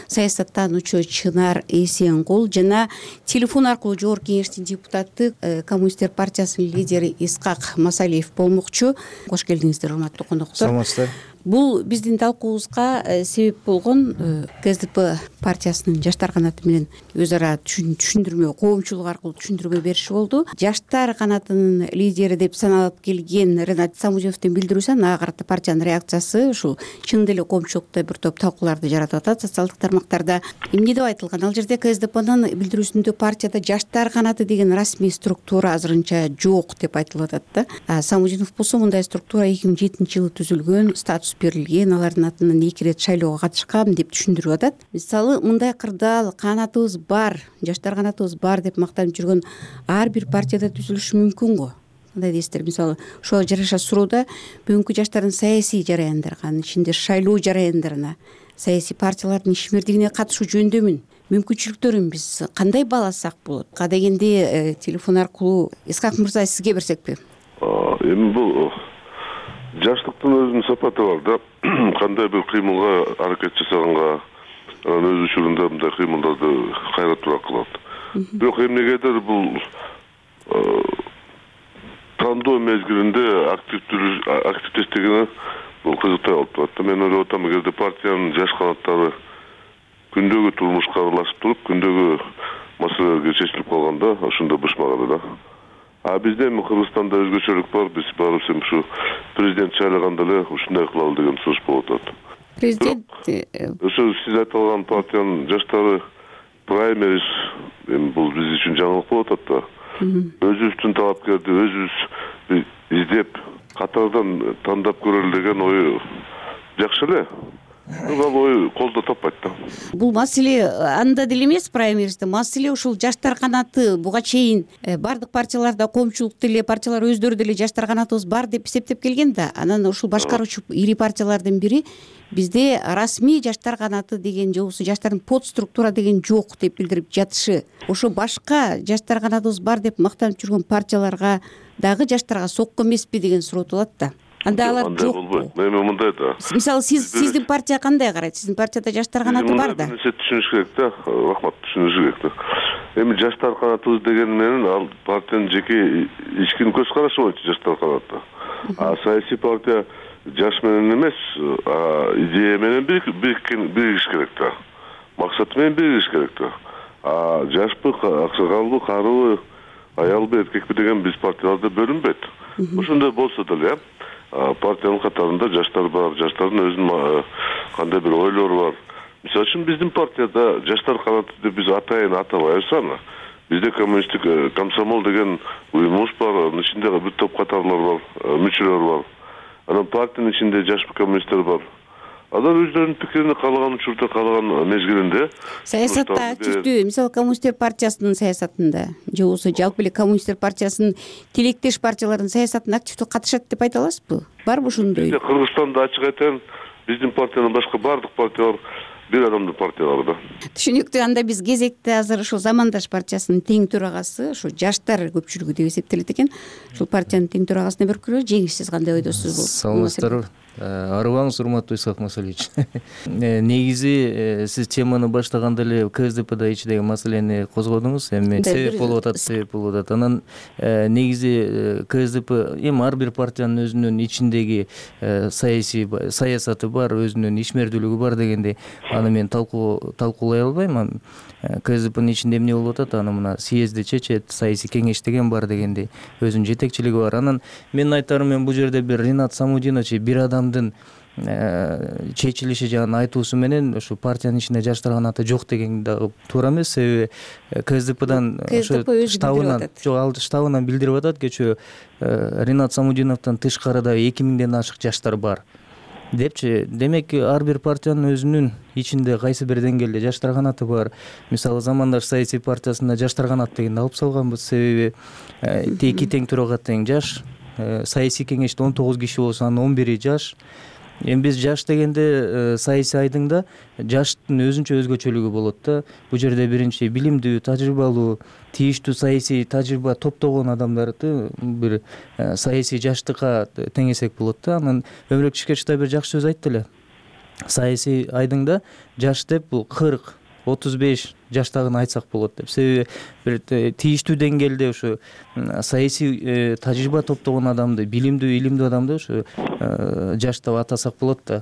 саясаттануучу Чынар Эсенкул жана телефон аркылуу жогорку кеңештин депутаты, Коммунисттер партиясынын лидери Исхак Масалиев болмокчу. Кош келдиңиздер, урматтуу коноктор. Саламатсыздар. Бул биздин талкуубузга себеп болгон КСДП партиясынын жаштар канаты менен өз ара түшүндүрмө, коомчулук аркылуу түшүндүрмө бериши болду. Жаштар канатынын лидери деп саналып келген Ринат Самудиновдун билдирүүсү, ага карата партиянын реакциясы ушул чындап эле коомчулукта бир топ талкууларды жаратып атат социалдык тармактарда. Эмне деп айтылган? Ал жерде КСДПнын билдирүүсүндө партияда жаштар канаты деген расмий структура азырынча жок деп айтылып атат да. Самудинов болсо мындай структура эки миң жетинчи жылы түзүлгөн, статус берилген, алардын атынан эки ирет шайлоого катышкан деп түшүндүрүп атат. Мисалы, мындай кырдаал канатыбыз бар, жаштар канатыбыз бар деп мактанып жүргөн ар бир партияда түзүлүшү мүмкүн го. Кандай дейсиздер? Мисалы, ошого жараша суроодо бүгүнкү жаштардын саясий жараяндарга, анын ичинде шайлоо жараяндарына, саясий партиялардын ишмердигине катышуу жөндөмүн, мүмкүнчүлүктөрүн биз кандай бааласак болот? Кадегенде телефон аркылуу Исхак мырза сизге берсекпи? Эми бул жаштыктын өзүнүн сапаты бар да. Кандай бир кыймылга аракет жасаганга анан өз учурунда мындай кыймылдарды кайра кылат. Бирок эмнегедир бул тандоо мезгилинде активдештигине бул кызыктай алып турат. Мен ойлоп атам, эгерде партиянын жаш канаттары күндөгү турмушка аралашып туруп, күндөгү маселелерге чечилип калганда, ошондо бышмаганы да. А бизде эми Кыргызстанда өзгөчөлүк бар. Биз барыбыз эми ушу президент шайлаганда эле ушундай кылалы деген сунуш болуп атат. Президент ошо сиз айткан партиянын жаштары праймериз эми бул биз үчүн жаңылык болуп атат да. Өзүбүздүн талапкерди өзүбүз издеп, катардан тандап көрөлү деген ой жакшы эле. Бул ой колдо таппайт да. Бул маселе анда деле эмес, праймеризде маселе ушул жаштар канаты буга чейин бардык партияларда, коомчулук деле партиялар өздөрү деле жаштар канатыбыз бар деп эсептеп келген да. Анан ушул башкаруучу ири партиялардын бири бизде расмий жаштар канаты деген же болбосо жаштардын подструктура деген жок деп билдирип жатышы. Ошо башка жаштар канатыбыз бар деп мактанып жүргөн партияларга дагы жаштарга сокко эмеспи деген суроо туулат да. Анда алар жок. Эми мындай да. Мисалы, сиз сиздин партия кандай карайт? Сиздин партияда жаштар канаты бар да. Мындай түшүнүш керек да. Рахмат, түшүнүш керек да. Эми жаштар канатыбыз деген менен ал партиянын жеке ички көз карашы боюнча жаштар канаты. А саясий партия жаш менен эмес, идея менен биригиш керек да. Максаты менен биригиш керек да. А жашпы, аксагалбы, карыбы, аялбы, эркекпи деген биз партияларда бөлүнбөйт. Ошондой болсо деле партиянын катарында жаштар бар, жаштардын өзүнүн кандай бир ойлору бар. Мисалы үчүн биздин партияда жаштар канаты деп биз атайын атабайбыз аны. Бизде коммунисттик комсомол деген уюмубуз бар, анын ичинде бир топ катарлар бар, мүчөлөр бар. анан партиянын ичинде жаш коммунисттер бар. Алар өздөрүнүн пикирин каалаган учурда, каалаган мезгилинде саясатта активдүү, мисалы коммунисттер партиясынын саясатында же болбосо жалпы эле коммунисттер партиясынын тилектеш партиялардын саясатына активдүү катышат деп айта аласызбы? Барбы ошондой? Кыргызстанда ачык айтайын, биздин партиянын башка баардык партиялар бир адамдын партиялары да. Түшүнүктүү. Анда биз кезекте азыр ушул Замандаш партиясынын тең төрагасы, ушу жаштар көпчүлүгү деп эсептелет экен. Ушул партиянын тең төрагасына берип көрөлү. Жеңиш, сиз кандай ойдосуз бул? Саламатсыздарбы? Арыбаңыз, урматтуу Исхак Масалевич. Негизи сиз теманы баштаганда эле КСДПда ичидеги маселени козгодуңуз. Эми себеп болуп атат, себеп болуп атат. Анан негизи КСДП эми ар бир партиянын өзүнүн ичиндеги саясий саясаты бар, өзүнүн ишмердүүлүгү бар дегенди аны мен талкуулай албайм. КСДПнын ичинде эмне болуп атат, аны мына съезди чечет, саясий кеңеш деген бар дегенди өзүнүн жетекчилиги бар. Анан менин айтарым, мен бул жерде бир Ринат Самудинович бир адам чечилиши жана айтуусу менен ушу партиянын ичинде жаштар канаты жок деген дагы туура эмес. Себеби КСДПдан ошо штабынан жок, ал штабынан билдирип атат, кечээ Ринат Самудиновдон тышкары да эки миңден ашык жаштар бар депчи. Демек ар бир партиянын өзүнүн ичинде кайсы бир деңгээлде жаштар канаты бар. Мисалы Замандаш саясий партиясында жаштар канат дегенди алып салганбыз. Себеби эки тең төрага тең жаш, саясий кеңеште он тогуз киши болсо анын он бири жаш. Эми биз жаш дегенде саясий айдыңда жаштын өзүнчө өзгөчөлүгү болот да. Бул жерде биринчи билимдүү, тажрыйбалуу, тийиштүү саясий тажрыйба топтогон адамдарды бир саясий жаштыкка теңесек болот да. Анан Өмүрөк Чишкечи да бир жакшы сөз айтты эле. Саясий айдыңда жаш деп бул кырк, отуз беш жаштагын айтсак болот деп. Себеби бир тийиштүү деңгээлде ушу саясий тажрыйба топтогон адамды, билимдүү, илимдүү адамды ушу жаш деп атасак болот да.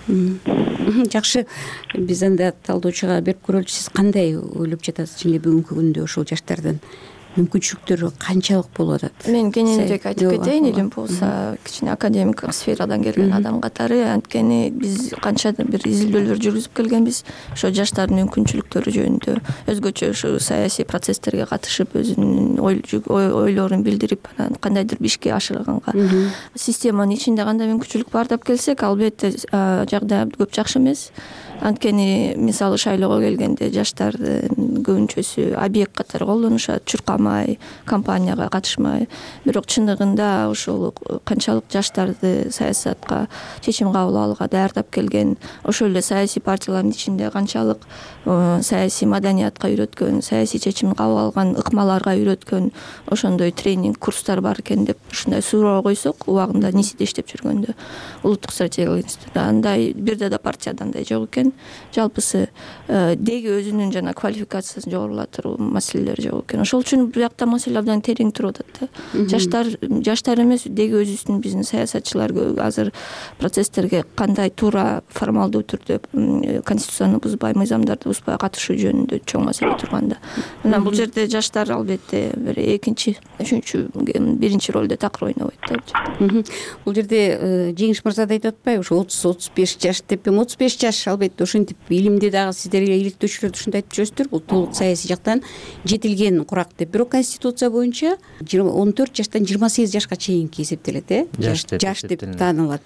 Жакшы, биз анда талдоочуга берип көрөлүчү. Сиз кандай ойлоп жатасыз эле бүгүнкү күндө ушул жаштардын мүмкүнчүлүктөрү канчалык болуп атат? Мен кененирээк айтып кетейин, элим болсо кичине академик сферадан келген адам катары. Анткени биз канча бир изилдөөлөр жүргүзүп келгенбиз ошо жаштардын мүмкүнчүлүктөрү жөнүндө. Өзгөчө ушу саясий процесстерге катышып, өзүнүн ойлорун билдирип, анан кандайдыр ишке ашырганга. Системанын ичинде кандай мүмкүнчүлүк бар деп келсек, албетте жагдай көп жакшы эмес. Анткени мисалы шайлоого келгенде жаштардын көбүнчөсү объект катары колдонушат, чуркамай, кампанияга катышмай. Бирок чындыгында ошол канчалык жаштарды саясатка, чечим кабыл алууга даярдап келген, ошол эле саясий партиялардын ичинде канчалык саясий маданиятка үйрөткөн, саясий чечим кабыл алган ыкмаларга үйрөткөн ошондой тренинг курстар бар экен деп ушундай суроо койсок, убагында НИСиде иштеп жүргөндө, улуттук стратегиялык институтта андай бирде да партияда андай жок экен. Жалпысы деги өзүнүн жана квалификациясын жогорулатыруу маселелери жок экен. Ошол үчүн биякта маселе абдан терең туруп атат да. Жаштар жаштар эмес, деги өзүбүздүн биздин саясатчылар азыр процесстерге кандай туура формалдуу түрдө конституцияны бузбай, мыйзамдарды бузбай катышуу жөнүндө чоң маселе турганда. Анан бул жерде жаштар албетте бир экинчи, үчүнчү, биринчи ролдо такыр ойнобойт да. Бул жерде Жеңиш мырза да айтып атпайбы, ошо отуз отуз беш жаш деп, эми отуз беш жаш албетте ошентип илимде дагы сиздер иликтөөчүлөр ушундай айтып жүрөсүздөр, бул толук саясий жактан жетилген курак деп. Бирок конституция боюнча он төрт жаштан жыйырма сегиз жашка чейинки эсептелет, э? Жаш деп таанылат.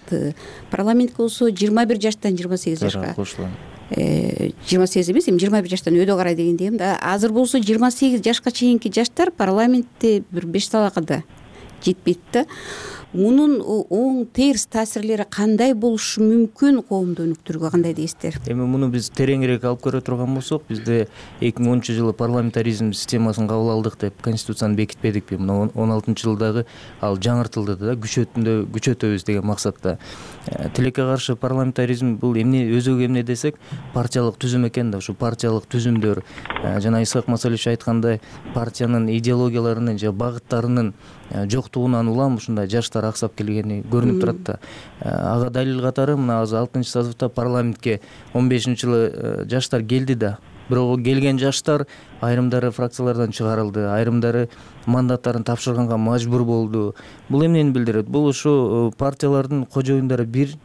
Парламентке болсо жыйырма бир жаштан жыйырма сегиз жашка кошулат. жыйырма сегиз эмес, эми жыйырма бир жаштан өйдө карай деген дегем да. Азыр болсо жыйырма сегиз жашка чейинки жаштар парламентте бир беш талакка да жетпейт да. Мунун оң терс таасирлери кандай болушу мүмкүн коомду өнүктүрүүгө, кандай дейсиздер? Эми муну биз тереңирээк алып көрө турган болсок, бизде эки миң онунчу жылы парламентаризм системасын кабыл алдык деп конституцияны бекитпедикпи? Мына он алтынчы жылдагы ал жаңыртылды да, күчөтүндө күчөтөбүз деген максатта. Тилекке каршы парламентаризм бул эмне, өзөгү эмне десек, партиялык түзүм экен да. Ушу партиялык түзүмдөр жана Исхак Масалевич айткандай, партиянын идеологияларынын же багыттарынын жоктугунан улам ушундай жаштар аксап келгени көрүнүп турат да. Ага далил катары мына азыр алтынчы созывда парламентке он бешинчи жылы жаштар келди да. Бирок келген жаштар айрымдары фракциялардан чыгарылды, айрымдары мандаттарын тапшырганга мажбур болду. Бул эмнени билдирет? Бул ушу партиялардын кожоюндары бир,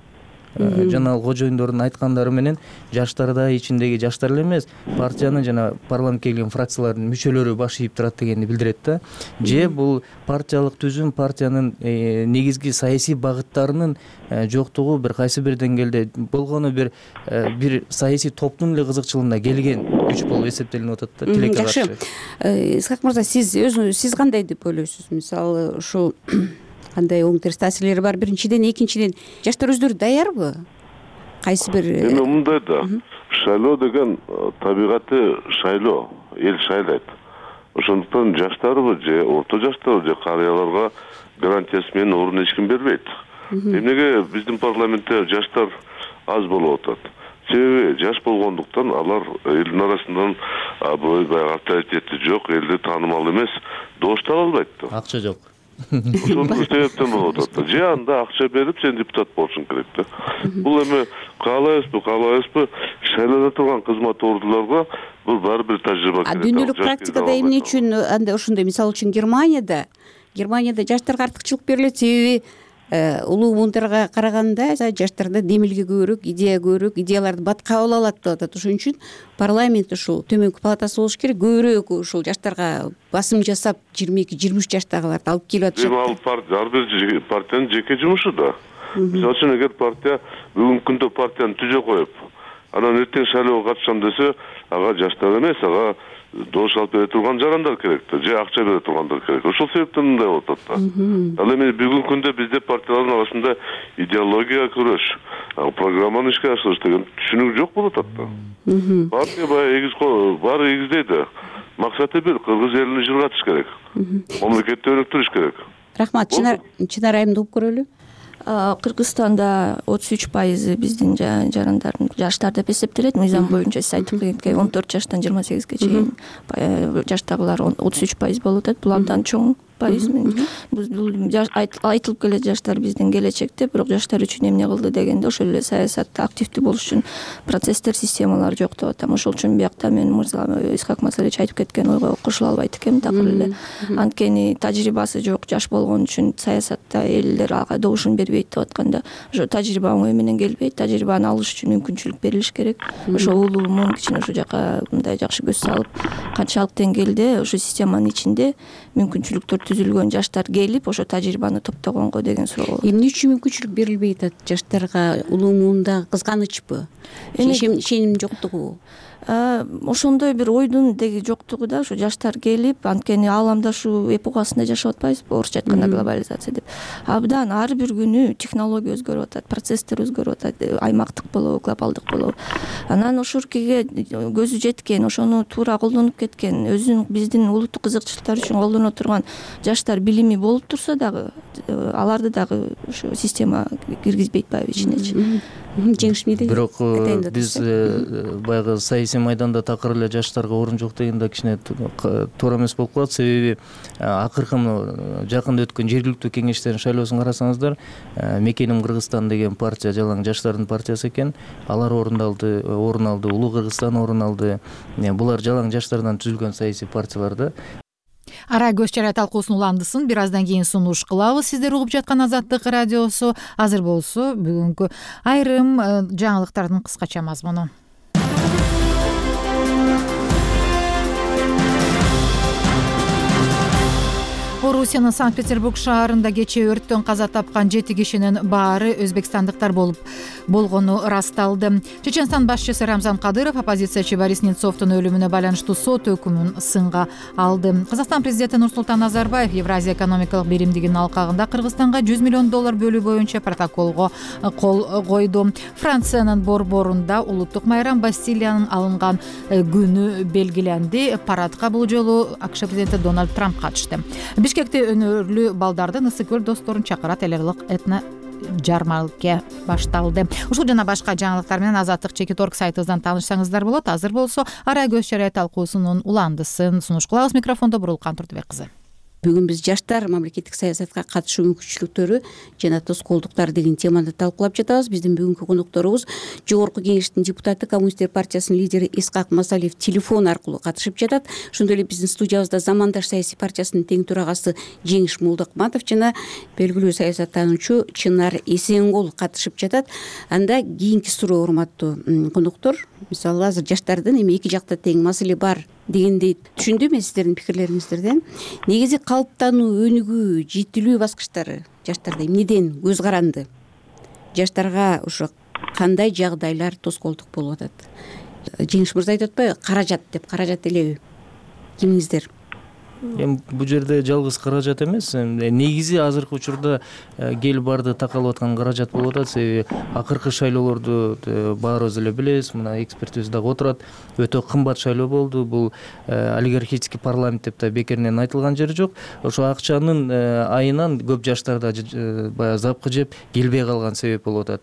жана кожоюндордун айткандары менен жаштар да ичиндеги жаштар эле эмес, партиянын жана парламентке келген фракциялардын мүчөлөрү баш ийип турат дегенди билдирет да. Же бул партиялык түзүм, партиянын негизги саясий багыттарынын жоктугу бир кайсы бир деңгээлде болгону бир бир саясий топтун эле кызыкчылыгына келген күч болуп эсептелип атат да тилекке каршы. Жакшы. Исхак мырза, сиз өзүңүз сиз кандай деп ойлойсуз? Мисалы ушул кандай оң терс таасирлери бар? Биринчиден, экинчиден жаштар өздөрү даярбы? Кайсы бир эми мындай да, шайлоо деген табигаты шайлоо, эл шайлайт. Ошондуктан жаштарбы же орто жаштарбы же карыяларга гарантиясы менен орун эч ким бербейт. Эмнеге биздин парламентте жаштар аз болуп атат? Себеби жаш болгондуктан алар элдин арасынан баягы авторитети жок, элди таанымал эмес, добуш таба албайт да. Акча жок. Ошондук себептен болуп атат да. Же анда акча берип сен депутат болушуң керек да. Бул эми каалайбызбы, каалабайбызбы, шайлоодо турган кызмат ордуларга бул баары бир тажрыйба керек. А дүйнөлүк практикада эмне үчүн анда ошондой, мисалы үчүн Германияда Германияда жаштарга артыкчылык берилет, себеби улуу муундарга караганда жаштарда демилге көбүрөөк, идея көбүрөөк, идеяларды бат кабыл алат деп атат. Ошон үчүн парламент ушул төмөнкү палатасы болуш керек, көбүрөөк ушул жаштарга басым жасап жыйырма эки жыйырма үч жаштагыларды алып келип атышат. Эми ал партия, ар бир партиянын жеке жумушу да. Мисалы үчүн эгер партия бүгүнкү күндө партияны түзө коюп, анан эртең шайлоого катышам десе, ага жаштар эмес, ага добуш алып бере турган жарандар керек да, же акча бере тургандар керек. Ошол себептен мындай болуп атат да. Ал эми бүгүнкү күндө бизде партиялардын арасында идеология күрөш, программаны ишке ашырыш деген түшүнүк жок болуп атат да. Партия баягы эгиз баары эгиздейт да. Максаты бир, кыргыз элин жыргатыш керек. Мамлекетти өнүктүрүш керек. Рахмат. Чынар айымды угуп көрөлү. Кыргызстанда отуз үч пайызы биздин жарандардын жаштар деп эсептелет. Мыйзам боюнча сиз айтып кеткендей он төрт жаштан жыйырма сегизге чейин жаштагылар отуз үч пайыз болуп атат. Бул абдан чоң пайыз. Бул айтылып келет жаштар биздин келечекте, бирок жаштар үчүн эмне кылды дегенде ошол эле саясатта активдүү болуш үчүн процесстер, системалар жок деп атам. Ошол үчүн биякта мен мырза Исхак Масалевич айтып кеткен ойго кошула албайт экенмин такыр эле. Анткени тажрыйбасы жок жаш болгон үчүн саясатта элдер ага добушун бербейт деп атканда, ошо тажрыйба оңой менен келбейт. Тажрыйбаны алыш үчүн мүмкүнчүлүк берилиш керек. Ошо улуу муун кичине ошо жака мындай жакшы көз салып, канчалык деңгээлде ошо системанын ичинде мүмкүнчүлүктөр түзүлгөн жаштар келип ошо тажрыйбаны топтогонго деген суроо. Эмне үчүн мүмкүнчүлүк берилбей атат жаштарга? Улуу муунда кызганычпы? Ишеним жоктугу? Ошондой бир ойдун деги жоктугу да, ошо жаштар келип, анткени ааламда ушул эпохасында жашап атпайбызбы, орусча айтканда глобализация деп. Абдан ар бир күнү технология өзгөрүп атат, процесстер өзгөрүп атат, аймактык болобу, глобалдык болобу. Анан ошуркиге көзү жеткен, ошону туура колдонуп кеткен, өзүнүн биздин улуттук кызыкчылыктар үчүн колдоно турган жаштар билими болуп турса дагы, аларды дагы ошо система киргизбейт байбы ичинечи. Жеңишмейди. Бирок биз баягы саясий майданда такыр эле жаштарга орун жок дегенде кичине туура эмес болуп калат. Себеби акыркы жакында өткөн жергиликтүү кеңештердин шайлоосун карасаңыздар, Мекеним Кыргызстан деген партия жалаң жаштардын партиясы экен. Алар орун алды, орун алды, Улуу Кыргызстан орун алды. Булар жалаң жаштардан түзүлгөн саясий партиялар да. Ара көз чарай талкуусунун уландысын бир аздан кийин сунуш кылабыз. Сиздер угуп жаткан Азаттык радиосу. Азыр болсо бүгүнкү айрым жаңылыктардын кыскача мазмуну. Орусиянын Санкт-Петербург шаарында кечээ өрттөн каза тапкан жети кишинин баары өзбекстандыктар болуп болгону ырасталды. Чеченстан башчысы Рамзан Кадыров оппозициячы Борис Немцовдун өлүмүнө байланыштуу сот өкүмүн сынга алды. Казакстан президенти Нурсултан Назарбаев Евразия экономикалык биримдигинин алкагында Кыргызстанга жүз миллион доллар бөлүү боюнча протоколго кол койду. Франциянын борборунда улуттук майрам Бастилиянын алынган күнү белгиленди. Парадка бул жолу АКШ президенти Дональд Трамп катышты. Бишкекте өнөрлүү балдардын Ысык көл досторун чакырат элек этно жармалке башталды. Ушул жана башка жаңылыктар менен Азаттык чекит орг сайтыбыздан таанышсаңыздар болот. Азыр болсо ара көз чарай талкуусунун уландысын сунуш кылабыз. Микрофондо Бурулкан Турдубек кызы. бүгүн биз жаштар мамлекеттик саясатка катышуу мүмкүнчүлүктөрү жана тоскоолдуктар деген теманы талкуулап жатабыз. Биздин бүгүнкү конокторубуз жогорку кеңештин депутаты, коммунисттер партиясынын лидери Исхак Масалиев телефон аркылуу катышып жатат. Ошондой эле биздин студиябызда Замандаш саясий партиясынын тең төрагасы Жеңиш Молдокматов жана белгилүү саясаттануучу Чынар Эсенгул катышып жатат. Анда кийинки суроо, урматтуу коноктор, мисалы азыр жаштардын эми эки жакта тең маселе бар дегендей түшүндүм мен сиздердин пикирлериңиздерден. Негизи калыптануу, өнүгүү, жетилүү баскычтары жаштарда эмнеден көз каранды? Жаштарга ошо кандай жагдайлар тоскоолдук болуп атат? Жеңиш мырза айтып атпайбы, каражат деп, каражат элеби? Кимиңиздер? Эми бул жерде жалгыз каражат эмес, негизи азыркы учурда кел барды такалып аткан каражат болуп атат. Себеби акыркы шайлоолорду баарыбыз эле билебиз, мына экспертибиз дагы отурат. Өтө кымбат шайлоо болду. Бул олигархический парламент деп да бекеринен айтылган жери жок. Ошо акчанын айынан көп жаштарда баягы запкы жеп келбей калган себеп болуп атат.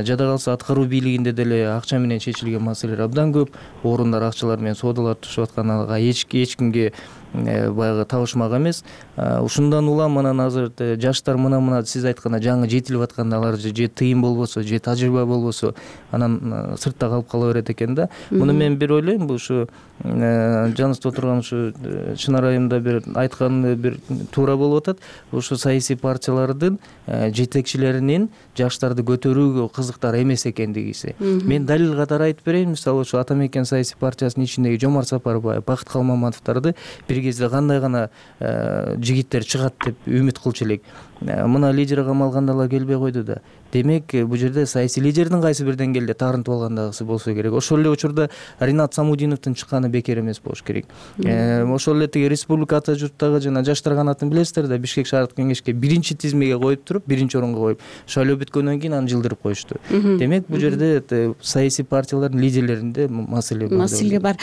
Жада калса аткаруу бийлигинде деле акча менен чечилген маселелер абдан көп. Орундар акчалар менен соодалар түшүп атканга эч кимге баягы табышмак эмес. Ушундан улам анан азыр жаштар мына-мына сиз айткандай жаңы жетилип атканда алар же тыйын болбосо, же тажрыйба болбосо, анан сыртта калып кала берет экен да. Муну мен бир ойлойм, бул ушу жаныбызда отурган ушу Чынар айым да бир айтканы бир туура болуп атат. Ушу саясий партиялардын жетекчилеринин жаштарды көтөрүүгө кызыктар эмес экендигиси. Мен далил катары айтып берейин. Мисалы ушу Ата Мекен саясий партиясынын ичиндеги Жомарт Сапарбаев, Бакыт Калмаматовдорду бир кезде кандай гана жигиттер чыгат деп үмүт кылчу элек. Мына лидер камалганда алар келбей койду да. Демек бул жерде саясий лидердин кайсы бир деңгээлде тарынтып алгандагысы болсо керек. Ошол эле учурда Ринат Самудиновдун чыкканы бекер эмес болуш керек. Ошол эле тиги республика ата журттагы жана жаштар канатын билесиздер да, Бишкек шаардык кеңешке биринчи тизмеге коюп туруп, биринчи орунга коюп, шайлоо бүткөндөн кийин аны жылдырып коюшту. Демек бул жерде саясий партиялардын лидерлеринде маселе бар. Маселе бар.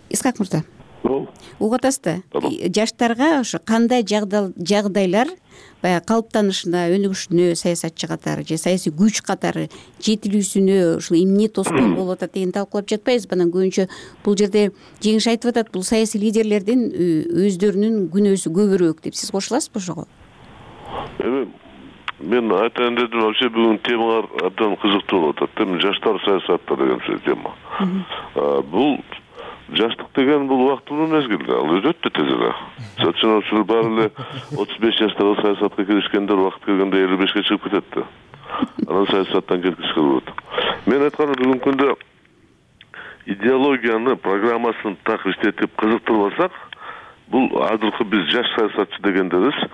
Исхак мырза, угуп атасызбы? Жаштарга ошо кандай жагдайлар баягы калыптанышына, өнүгүшүнө саясатчы катары же саясий күч катары жетилүүсүнө ушул эмне тоскоол болуп атат деген талкуулап жатпайбызбы? Анан көбүнчө бул жерде Жеңиш айтып атат, бул саясий лидерлердин өздөрүнүн күнөөсү көбүрөөк деп. Сиз кошуласызбы ошого? Эми мен айтайын дедим, вообще бүгүн темалар абдан кызыктуу болуп атат. Эми жаштар саясатта деген тема. Бул жаштык деген бул убактылуу мезгил, ал өтөт тез эле. Мисалы үчүн баары эле отуз беш жаштагы саясатка киришкендер убакыт келгенде элүү бешке чыгып кетет да. Анан саясаттан кеткиси келип атат. Мен айтканым, бүгүнкү күндө идеологияны, программасын так иштетип кызыктырбасак, бул азыркы биз жаш саясатчы дегендерибиз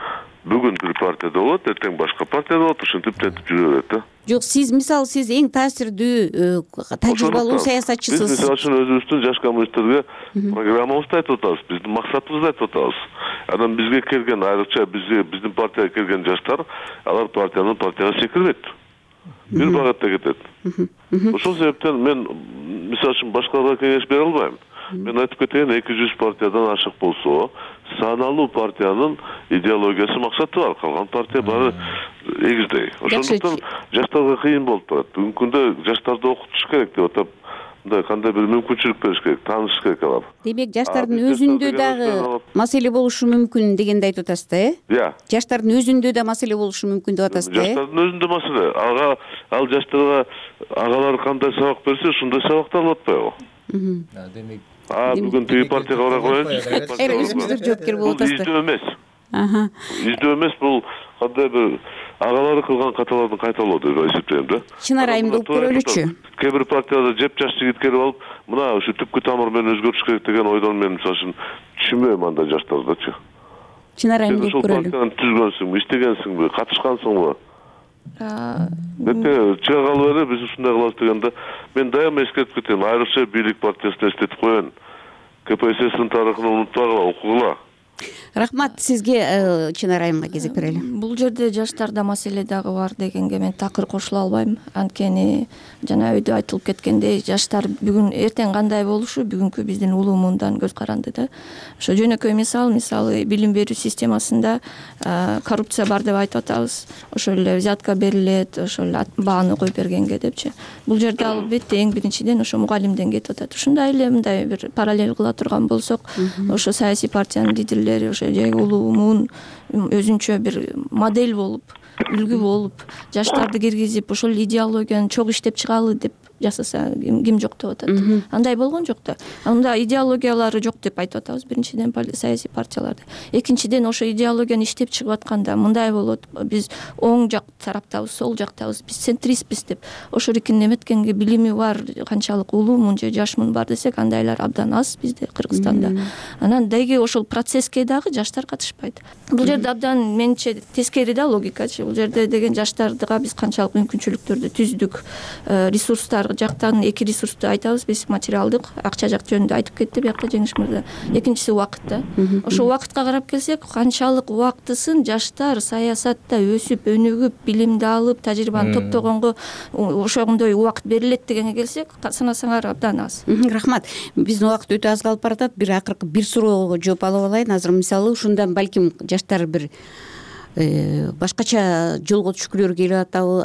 бүгүн бир партияда болот, эртең башка партияда болот, ушинтип тентип жүрө берет да. Жок, сиз мисалы сиз эң таасирдүү, тажрыйбалуу саясатчысыз. Биз мисалы үчүн өзүбүздүн жаш коммунисттерге программабызды айтып атабыз, биздин максатыбызды айтып атабыз. Анан бизге келген, айрыкча бизге биздин партияга келген жаштар, алар партиянын партияга секирбейт. Бир багытта кетет. Ошол себептен мен мисалы үчүн башкаларга кеңеш бере албайм. Мен айтып кетейин, эки жүз партиядан ашык болсо, саналуу партиянын идеологиясы, максаты бар. Калган партия баары эгиздей. Ошондуктан жаштарга кыйын болуп турат. Бүгүнкү күндө жаштарды окутуш керек деп атап, мындай кандай бир мүмкүнчүлүк бериш керек, таанышыш керек алар. Демек, жаштардын өзүндө дагы маселе болушу мүмкүн дегенди айтып атасыз да, э? Иә. Жаштардын өзүндө да маселе болушу мүмкүн деп атасыз да, э? Жаштардын өзүндө маселе. Ага, ал жаштарга агалар кандай сабак берсе, ошондой сабакты алып атпайбы? Демек А бүгүн тиги партияга бара коелучу. Эре өзүңүздөр жооптор болуп атасыздар. Издөө эмес. Аха. Издөө эмес, бул кандай бир агалары кылган каталардын кайталоо деп эсептейм да. Чынар айымды угуп көрөлүчү. Кээ бир партияда жеп жаш жигит келип алып, мына ушу түпкү тамыр менен өзгөртүш керек деген ойдон мен мисалы үчүн түшүнбөйм анда жаштардачы. Чынар айымды угуп көрөлү. Ошол партияны түзгөнсүңбү, иштегенсиңби, катышкансыңбы? Эте чыга калып эле биз ушундай кылабыз дегенде мен дайыма эскертип кетем, айрыкча бийлик партиясына эстетип коеюн. КПССтин тарыхын унутпагыла, окугула. Рахмат сизге. Чынар айымга кезек берели. Бул жерде жаштарда маселе дагы бар дегенге мен такыр кошула албайм. Анткени жана өйдө айтылып кеткендей, жаштар бүгүн эртең кандай болушу бүгүнкү биздин улуу муундан көз каранды да. Ошо жөнөкөй мисал, мисалы билим берүү системасында коррупция бар деп айтып атабыз. Ошол эле взятка берилет, ошол эле бааны коюп бергенге депчи. Бул жерде албетте эң биринчиден ошо мугалимден кетип атат. Ушундай эле мындай бир параллель кыла турган болсок, ошо саясий партиянын лидерлери ошо ошо же улуумун өзүнчө бир модель болуп, үлгү болуп, жаштарды киргизип ошол идеологияны чогуу иштеп чыгалы деп жасаса ким жок деп атат. Андай болгон жок да. Анда идеологиялары жок деп айтып атабыз биринчиден саясий партияларды. Экинчиден ошо идеологияны иштеп чыгып атканда мындай болот, биз оң жак тараптабыз, сол жактабыз, биз центристпиз деп ошорикин эметкенге билими бар, канчалык улуумун же жашмын бар десек, андайлар абдан аз бизде Кыргызстанда. Анан деги ошол процесске дагы жаштар катышпайт. Бул жерде абдан менче тескери да логикачы. Бул жерде деген жаштарга биз канчалык мүмкүнчүлүктөрдү түздүк, ресурстар жактан эки ресурсту айтабыз биз, материалдык, акча жак жөнүндө айтып кетти биякта Жеңиш мырза. Экинчиси убакыт да. Ошо убакытка карап келсек, канчалык убактысын жаштар саясатта өсүп, өнүгүп, билимди алып, тажрыйбаны топтогонго ошондой убакыт берилет дегенге келсек, санасаңар абдан аз. Рахмат. Биздин убакыт өтө аз калып баратат. Бир акыркы бир суроого жооп алып алайын. Азыр мисалы ушундан балким жаштар бир башкача жолго түшкүлөрү келип атабы,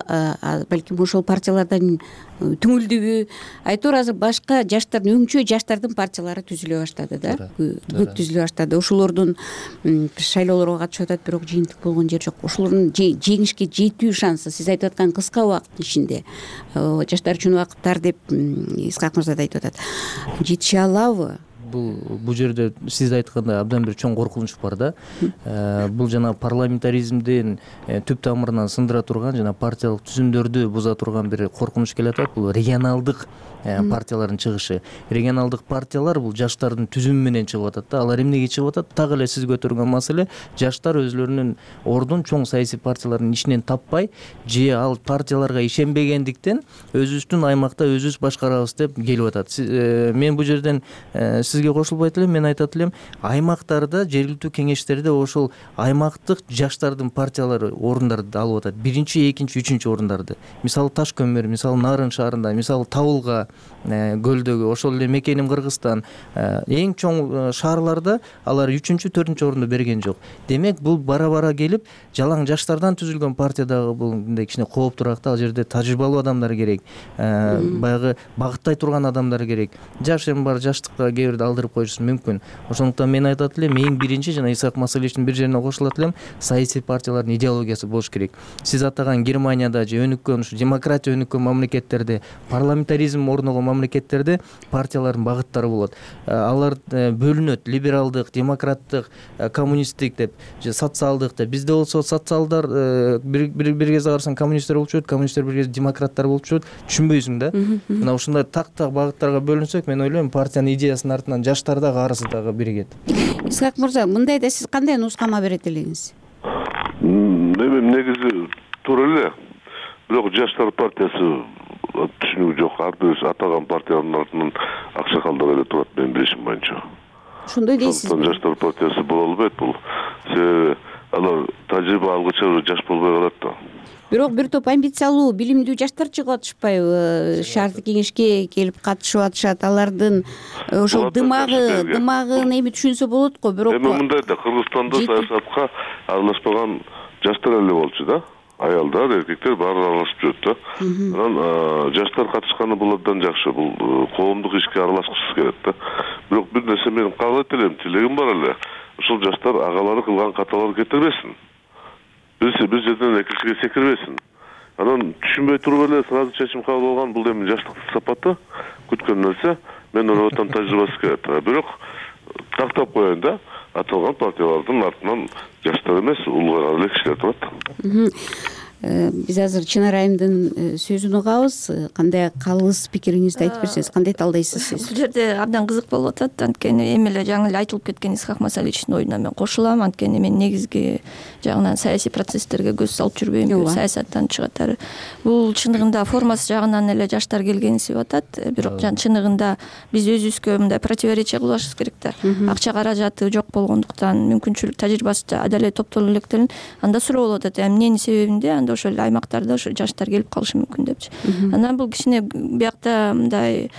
балким ошол партиялардан түңүлдүбү, айтор азыр башка жаштардын өңчө жаштардын партиялары түзүлө баштады да, көп түзүлө баштады. Ошолордун шайлоолорго катышып атат, бирок жыйынтык болгон жер жок. Ошолордун жеңишке жетүү шансы сиз айтып аткан кыска убакыттын ичинде, жаштар үчүн убакыттар деп Исхак мырза да айтып атат, жетише алабы? Бул бул жерде сиз айткандай абдан бир чоң коркунуч бар да. Бул жана парламентаризмдин түп тамырынан сындыра турган жана партиялык түзүмдөрдү буза турган бир коркунуч келе атат. Бул регионалдык партиялардын чыгышы. Регионалдык партиялар бул жаштардын түзүмү менен чыгып атат да. Алар эмнеге чыгып атат? Так эле сиз көтөргөн маселе, жаштар өзлөрүнүн ордун чоң саясий партиялардын ичинен таппай, же ал партияларга ишенбегендиктен өзүбүздүн аймакта өзүбүз башкарабыз деп келип атат. Мен бул жерден сизге кошулбайт элем, мен айтат элем, аймактарда, жергиликтүү кеңештерде ошол аймактык жаштардын партиялары орундарды алып атат. Биринчи, экинчи, үчүнчү орундарды. Мисалы Таш көмөр, мисалы Нарын шаарында, мисалы Табылга көлдөгү, ошол эле Мекеним Кыргызстан, эң чоң шаарларда алар үчүнчү, төртүнчү орунду берген жок. Демек, бул бара-бара келип, жалаң жаштардан түзүлгөн партиядагы бул мындай кичине кооптураак да. Ал жерде тажрыйбалуу адамдар керек, баягы багыттай турган адамдар керек. Жаш эми бар, жаштыкка кээ бирде алдырып коюшу мүмкүн. Ошондуктан мен айтат элем, эң биринчи жана Исхак Масаличтин бир жерине кошулат элем, саясий партиялардын идеологиясы болуш керек. Сиз атаган Германияда же өнүккөн, ушу демократия өнүккөн мамлекеттерде, парламентаризм орногон мамлекеттерде партиялардын багыттары болот. Алар бөлүнөт: либералдык, демократтык, коммунисттик деп, же социалдык деп. Бизде болсо социалдар бир бир кезде карасаң коммунисттер болуп чыгат, коммунисттер бир кезде демократтар болуп чыгат. Түшүнбөйсүң да. Мына ушундай так-так багыттарга бөлүнсөк, мен ойлойм, партиянын идеясынын артынан жаштар дагы, арысы дагы биригет. Исхак мырза, мындайда сиз кандай нускама берет элеңиз? Эми негизи туура эле. Бирок жаштар партиясы түшүнүгү жок. Ар бир атаган партиянын артынан аксакалдар эле турат, менин билишим боюнча. Ошондой дейсизби? Жаштар партиясы боло албайт бул. Себеби алар тажрыйба алгыча жаш болбой калат да. Бирок бир топ амбициялуу, билимдүү жаштар чыгып атышпайбы? Шаардык кеңешке келип катышып атышат. Алардын ошол дымагы, дымагын эми түшүнсө болот го. Бирок эми мындай да, Кыргызстанда саясатка аралашпаган жаштар эле болчу да. Аялдар, эркектер баары аралашып жүрөт да. Анан жаштар катышканы бул абдан жакшы. Бул коомдук ишке аралашкысы келет да. Бирок бир нерсе мен каалайт элем, тилегим бар эле. Ушул жаштар агалары кылган каталарды кетирбесин. Бир бир жерден экинчиге секирбесин. Анан түшүнбөй туруп эле сразу чечим кабыл алган, бул эми жаштыктын сапаты, күткөн нерсе. Мен ойлоп атам, тажрыйбасы келет. Бирок тактап коеюн да. Аталган партиялардын артынан жаштар эмес, улгайган эле кишилер турат. Биз азыр Чынар айымдын сөзүн угабыз. Кандай калыс пикириңизди айтып берсеңиз, кандай талдайсыз сиз? Бул жерде абдан кызык болуп атат. Анткени эми эле жаңы эле айтылып кеткен Исхак Масаличтин оюна мен кошулам. Анткени мен негизги жагынан саясий процесстерге көз салып жүрбөйм, саясаттан чыгатары. Бул чындыгында формасы жагынан эле жаштар келгенсип атат. Бирок чындыгында биз өзүбүзгө мындай противоречие кылбашыбыз керек да. Акча каражаты жок болгондуктан, мүмкүнчүлүк, тажрыйбасы да эле топтоло электерин. Анда суроо болуп атат, эмненин себебинде анда болгондо ошол эле аймактарда ошо жаштар келип калышы мүмкүн депчи. Анан бул кичине биякта мындай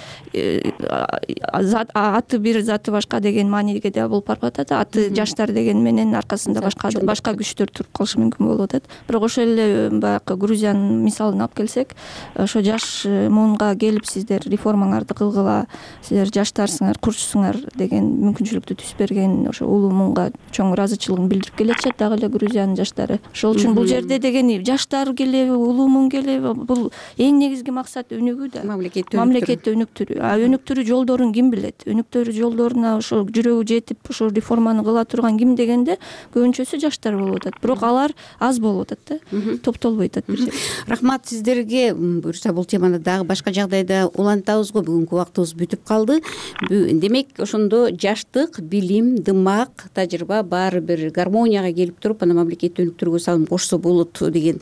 аты бир заты башка деген мааниге да болуп барып атат. Аты жаштар деген менен аркасында башка башка күчтөр туруп калышы мүмкүн болуп атат. Бирок ошол эле баягы Грузиянын мисалын алып келсек, ошо жаш муунга келип сиздер реформаңарды кылгыла, силер жаштарсыңар, курчусуңар деген мүмкүнчүлүктү түзүп берген ошо улуу муунга чоң ыраазычылыгын билдирип келатышат дагы эле Грузиянын жаштары. Ошол үчүн бул жерде деген жаштар келеби, улуу муун келеби, бул эң негизги максат өнүгүү да. Мамлекетти өнүктүрүү. А өнүктүрүү жолдорун ким билет? Өнүктүрүү жолдоруна ошо жүрөгү жетип ошо реформаны кыла турган ким дегенде көбүнчөсү жаштар болуп атат. Бирок алар аз болуп атат да. Топтолбой атат бир жерде. Рахмат сиздерге. Буюрса бул теманы дагы башка жагдайда улантабыз го. Бүгүнкү убактыбыз бүтүп калды. Демек ошондо жаштык, билим, дымак, тажрыйба баары бир гармонияга келип туруп, аны мамлекетти өнүктүрүүгө салым кошсо болот деген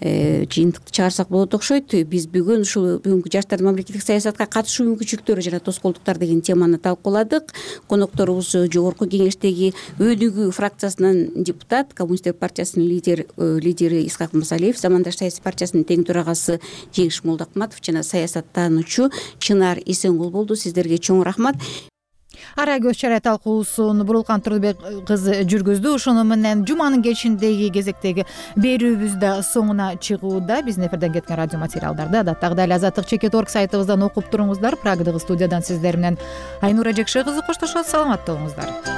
жыйынтыкты чыгарсак болот окшойт. Биз бүгүн ушул бүгүнкү жаштардын мамлекеттик саясатка катышуу мүмкүнчүлүктөрү жана тоскоолдуктар деген теманы талкууладык. Конокторубуз жогорку кеңештеги өнүгүү фракциясынын депутат, Коммунисттер партиясынын лидер лидери Исхак Масалиев, Замандаш саясий партиясынын тең төрагасы Жеңиш Молдокматов жана саясаттануучу Чынар Эсенгул болду. Сиздерге чоң рахмат. Ара көз чарай талкуусун Бурулкан Турдубек кызы жүргүздү. Ошону менен жуманын кечиндеги кезектеги берүүбүз да соңуна чыгууда. Биздин эфирден кеткен радио материалдарды адаттагыдай эле азаттык чекит точка орг сайтыбыздан окуп туруңуздар. Прагадагы студиядан сиздер менен Айнура Жекше кызы коштошот. Саламатта болуңуздар.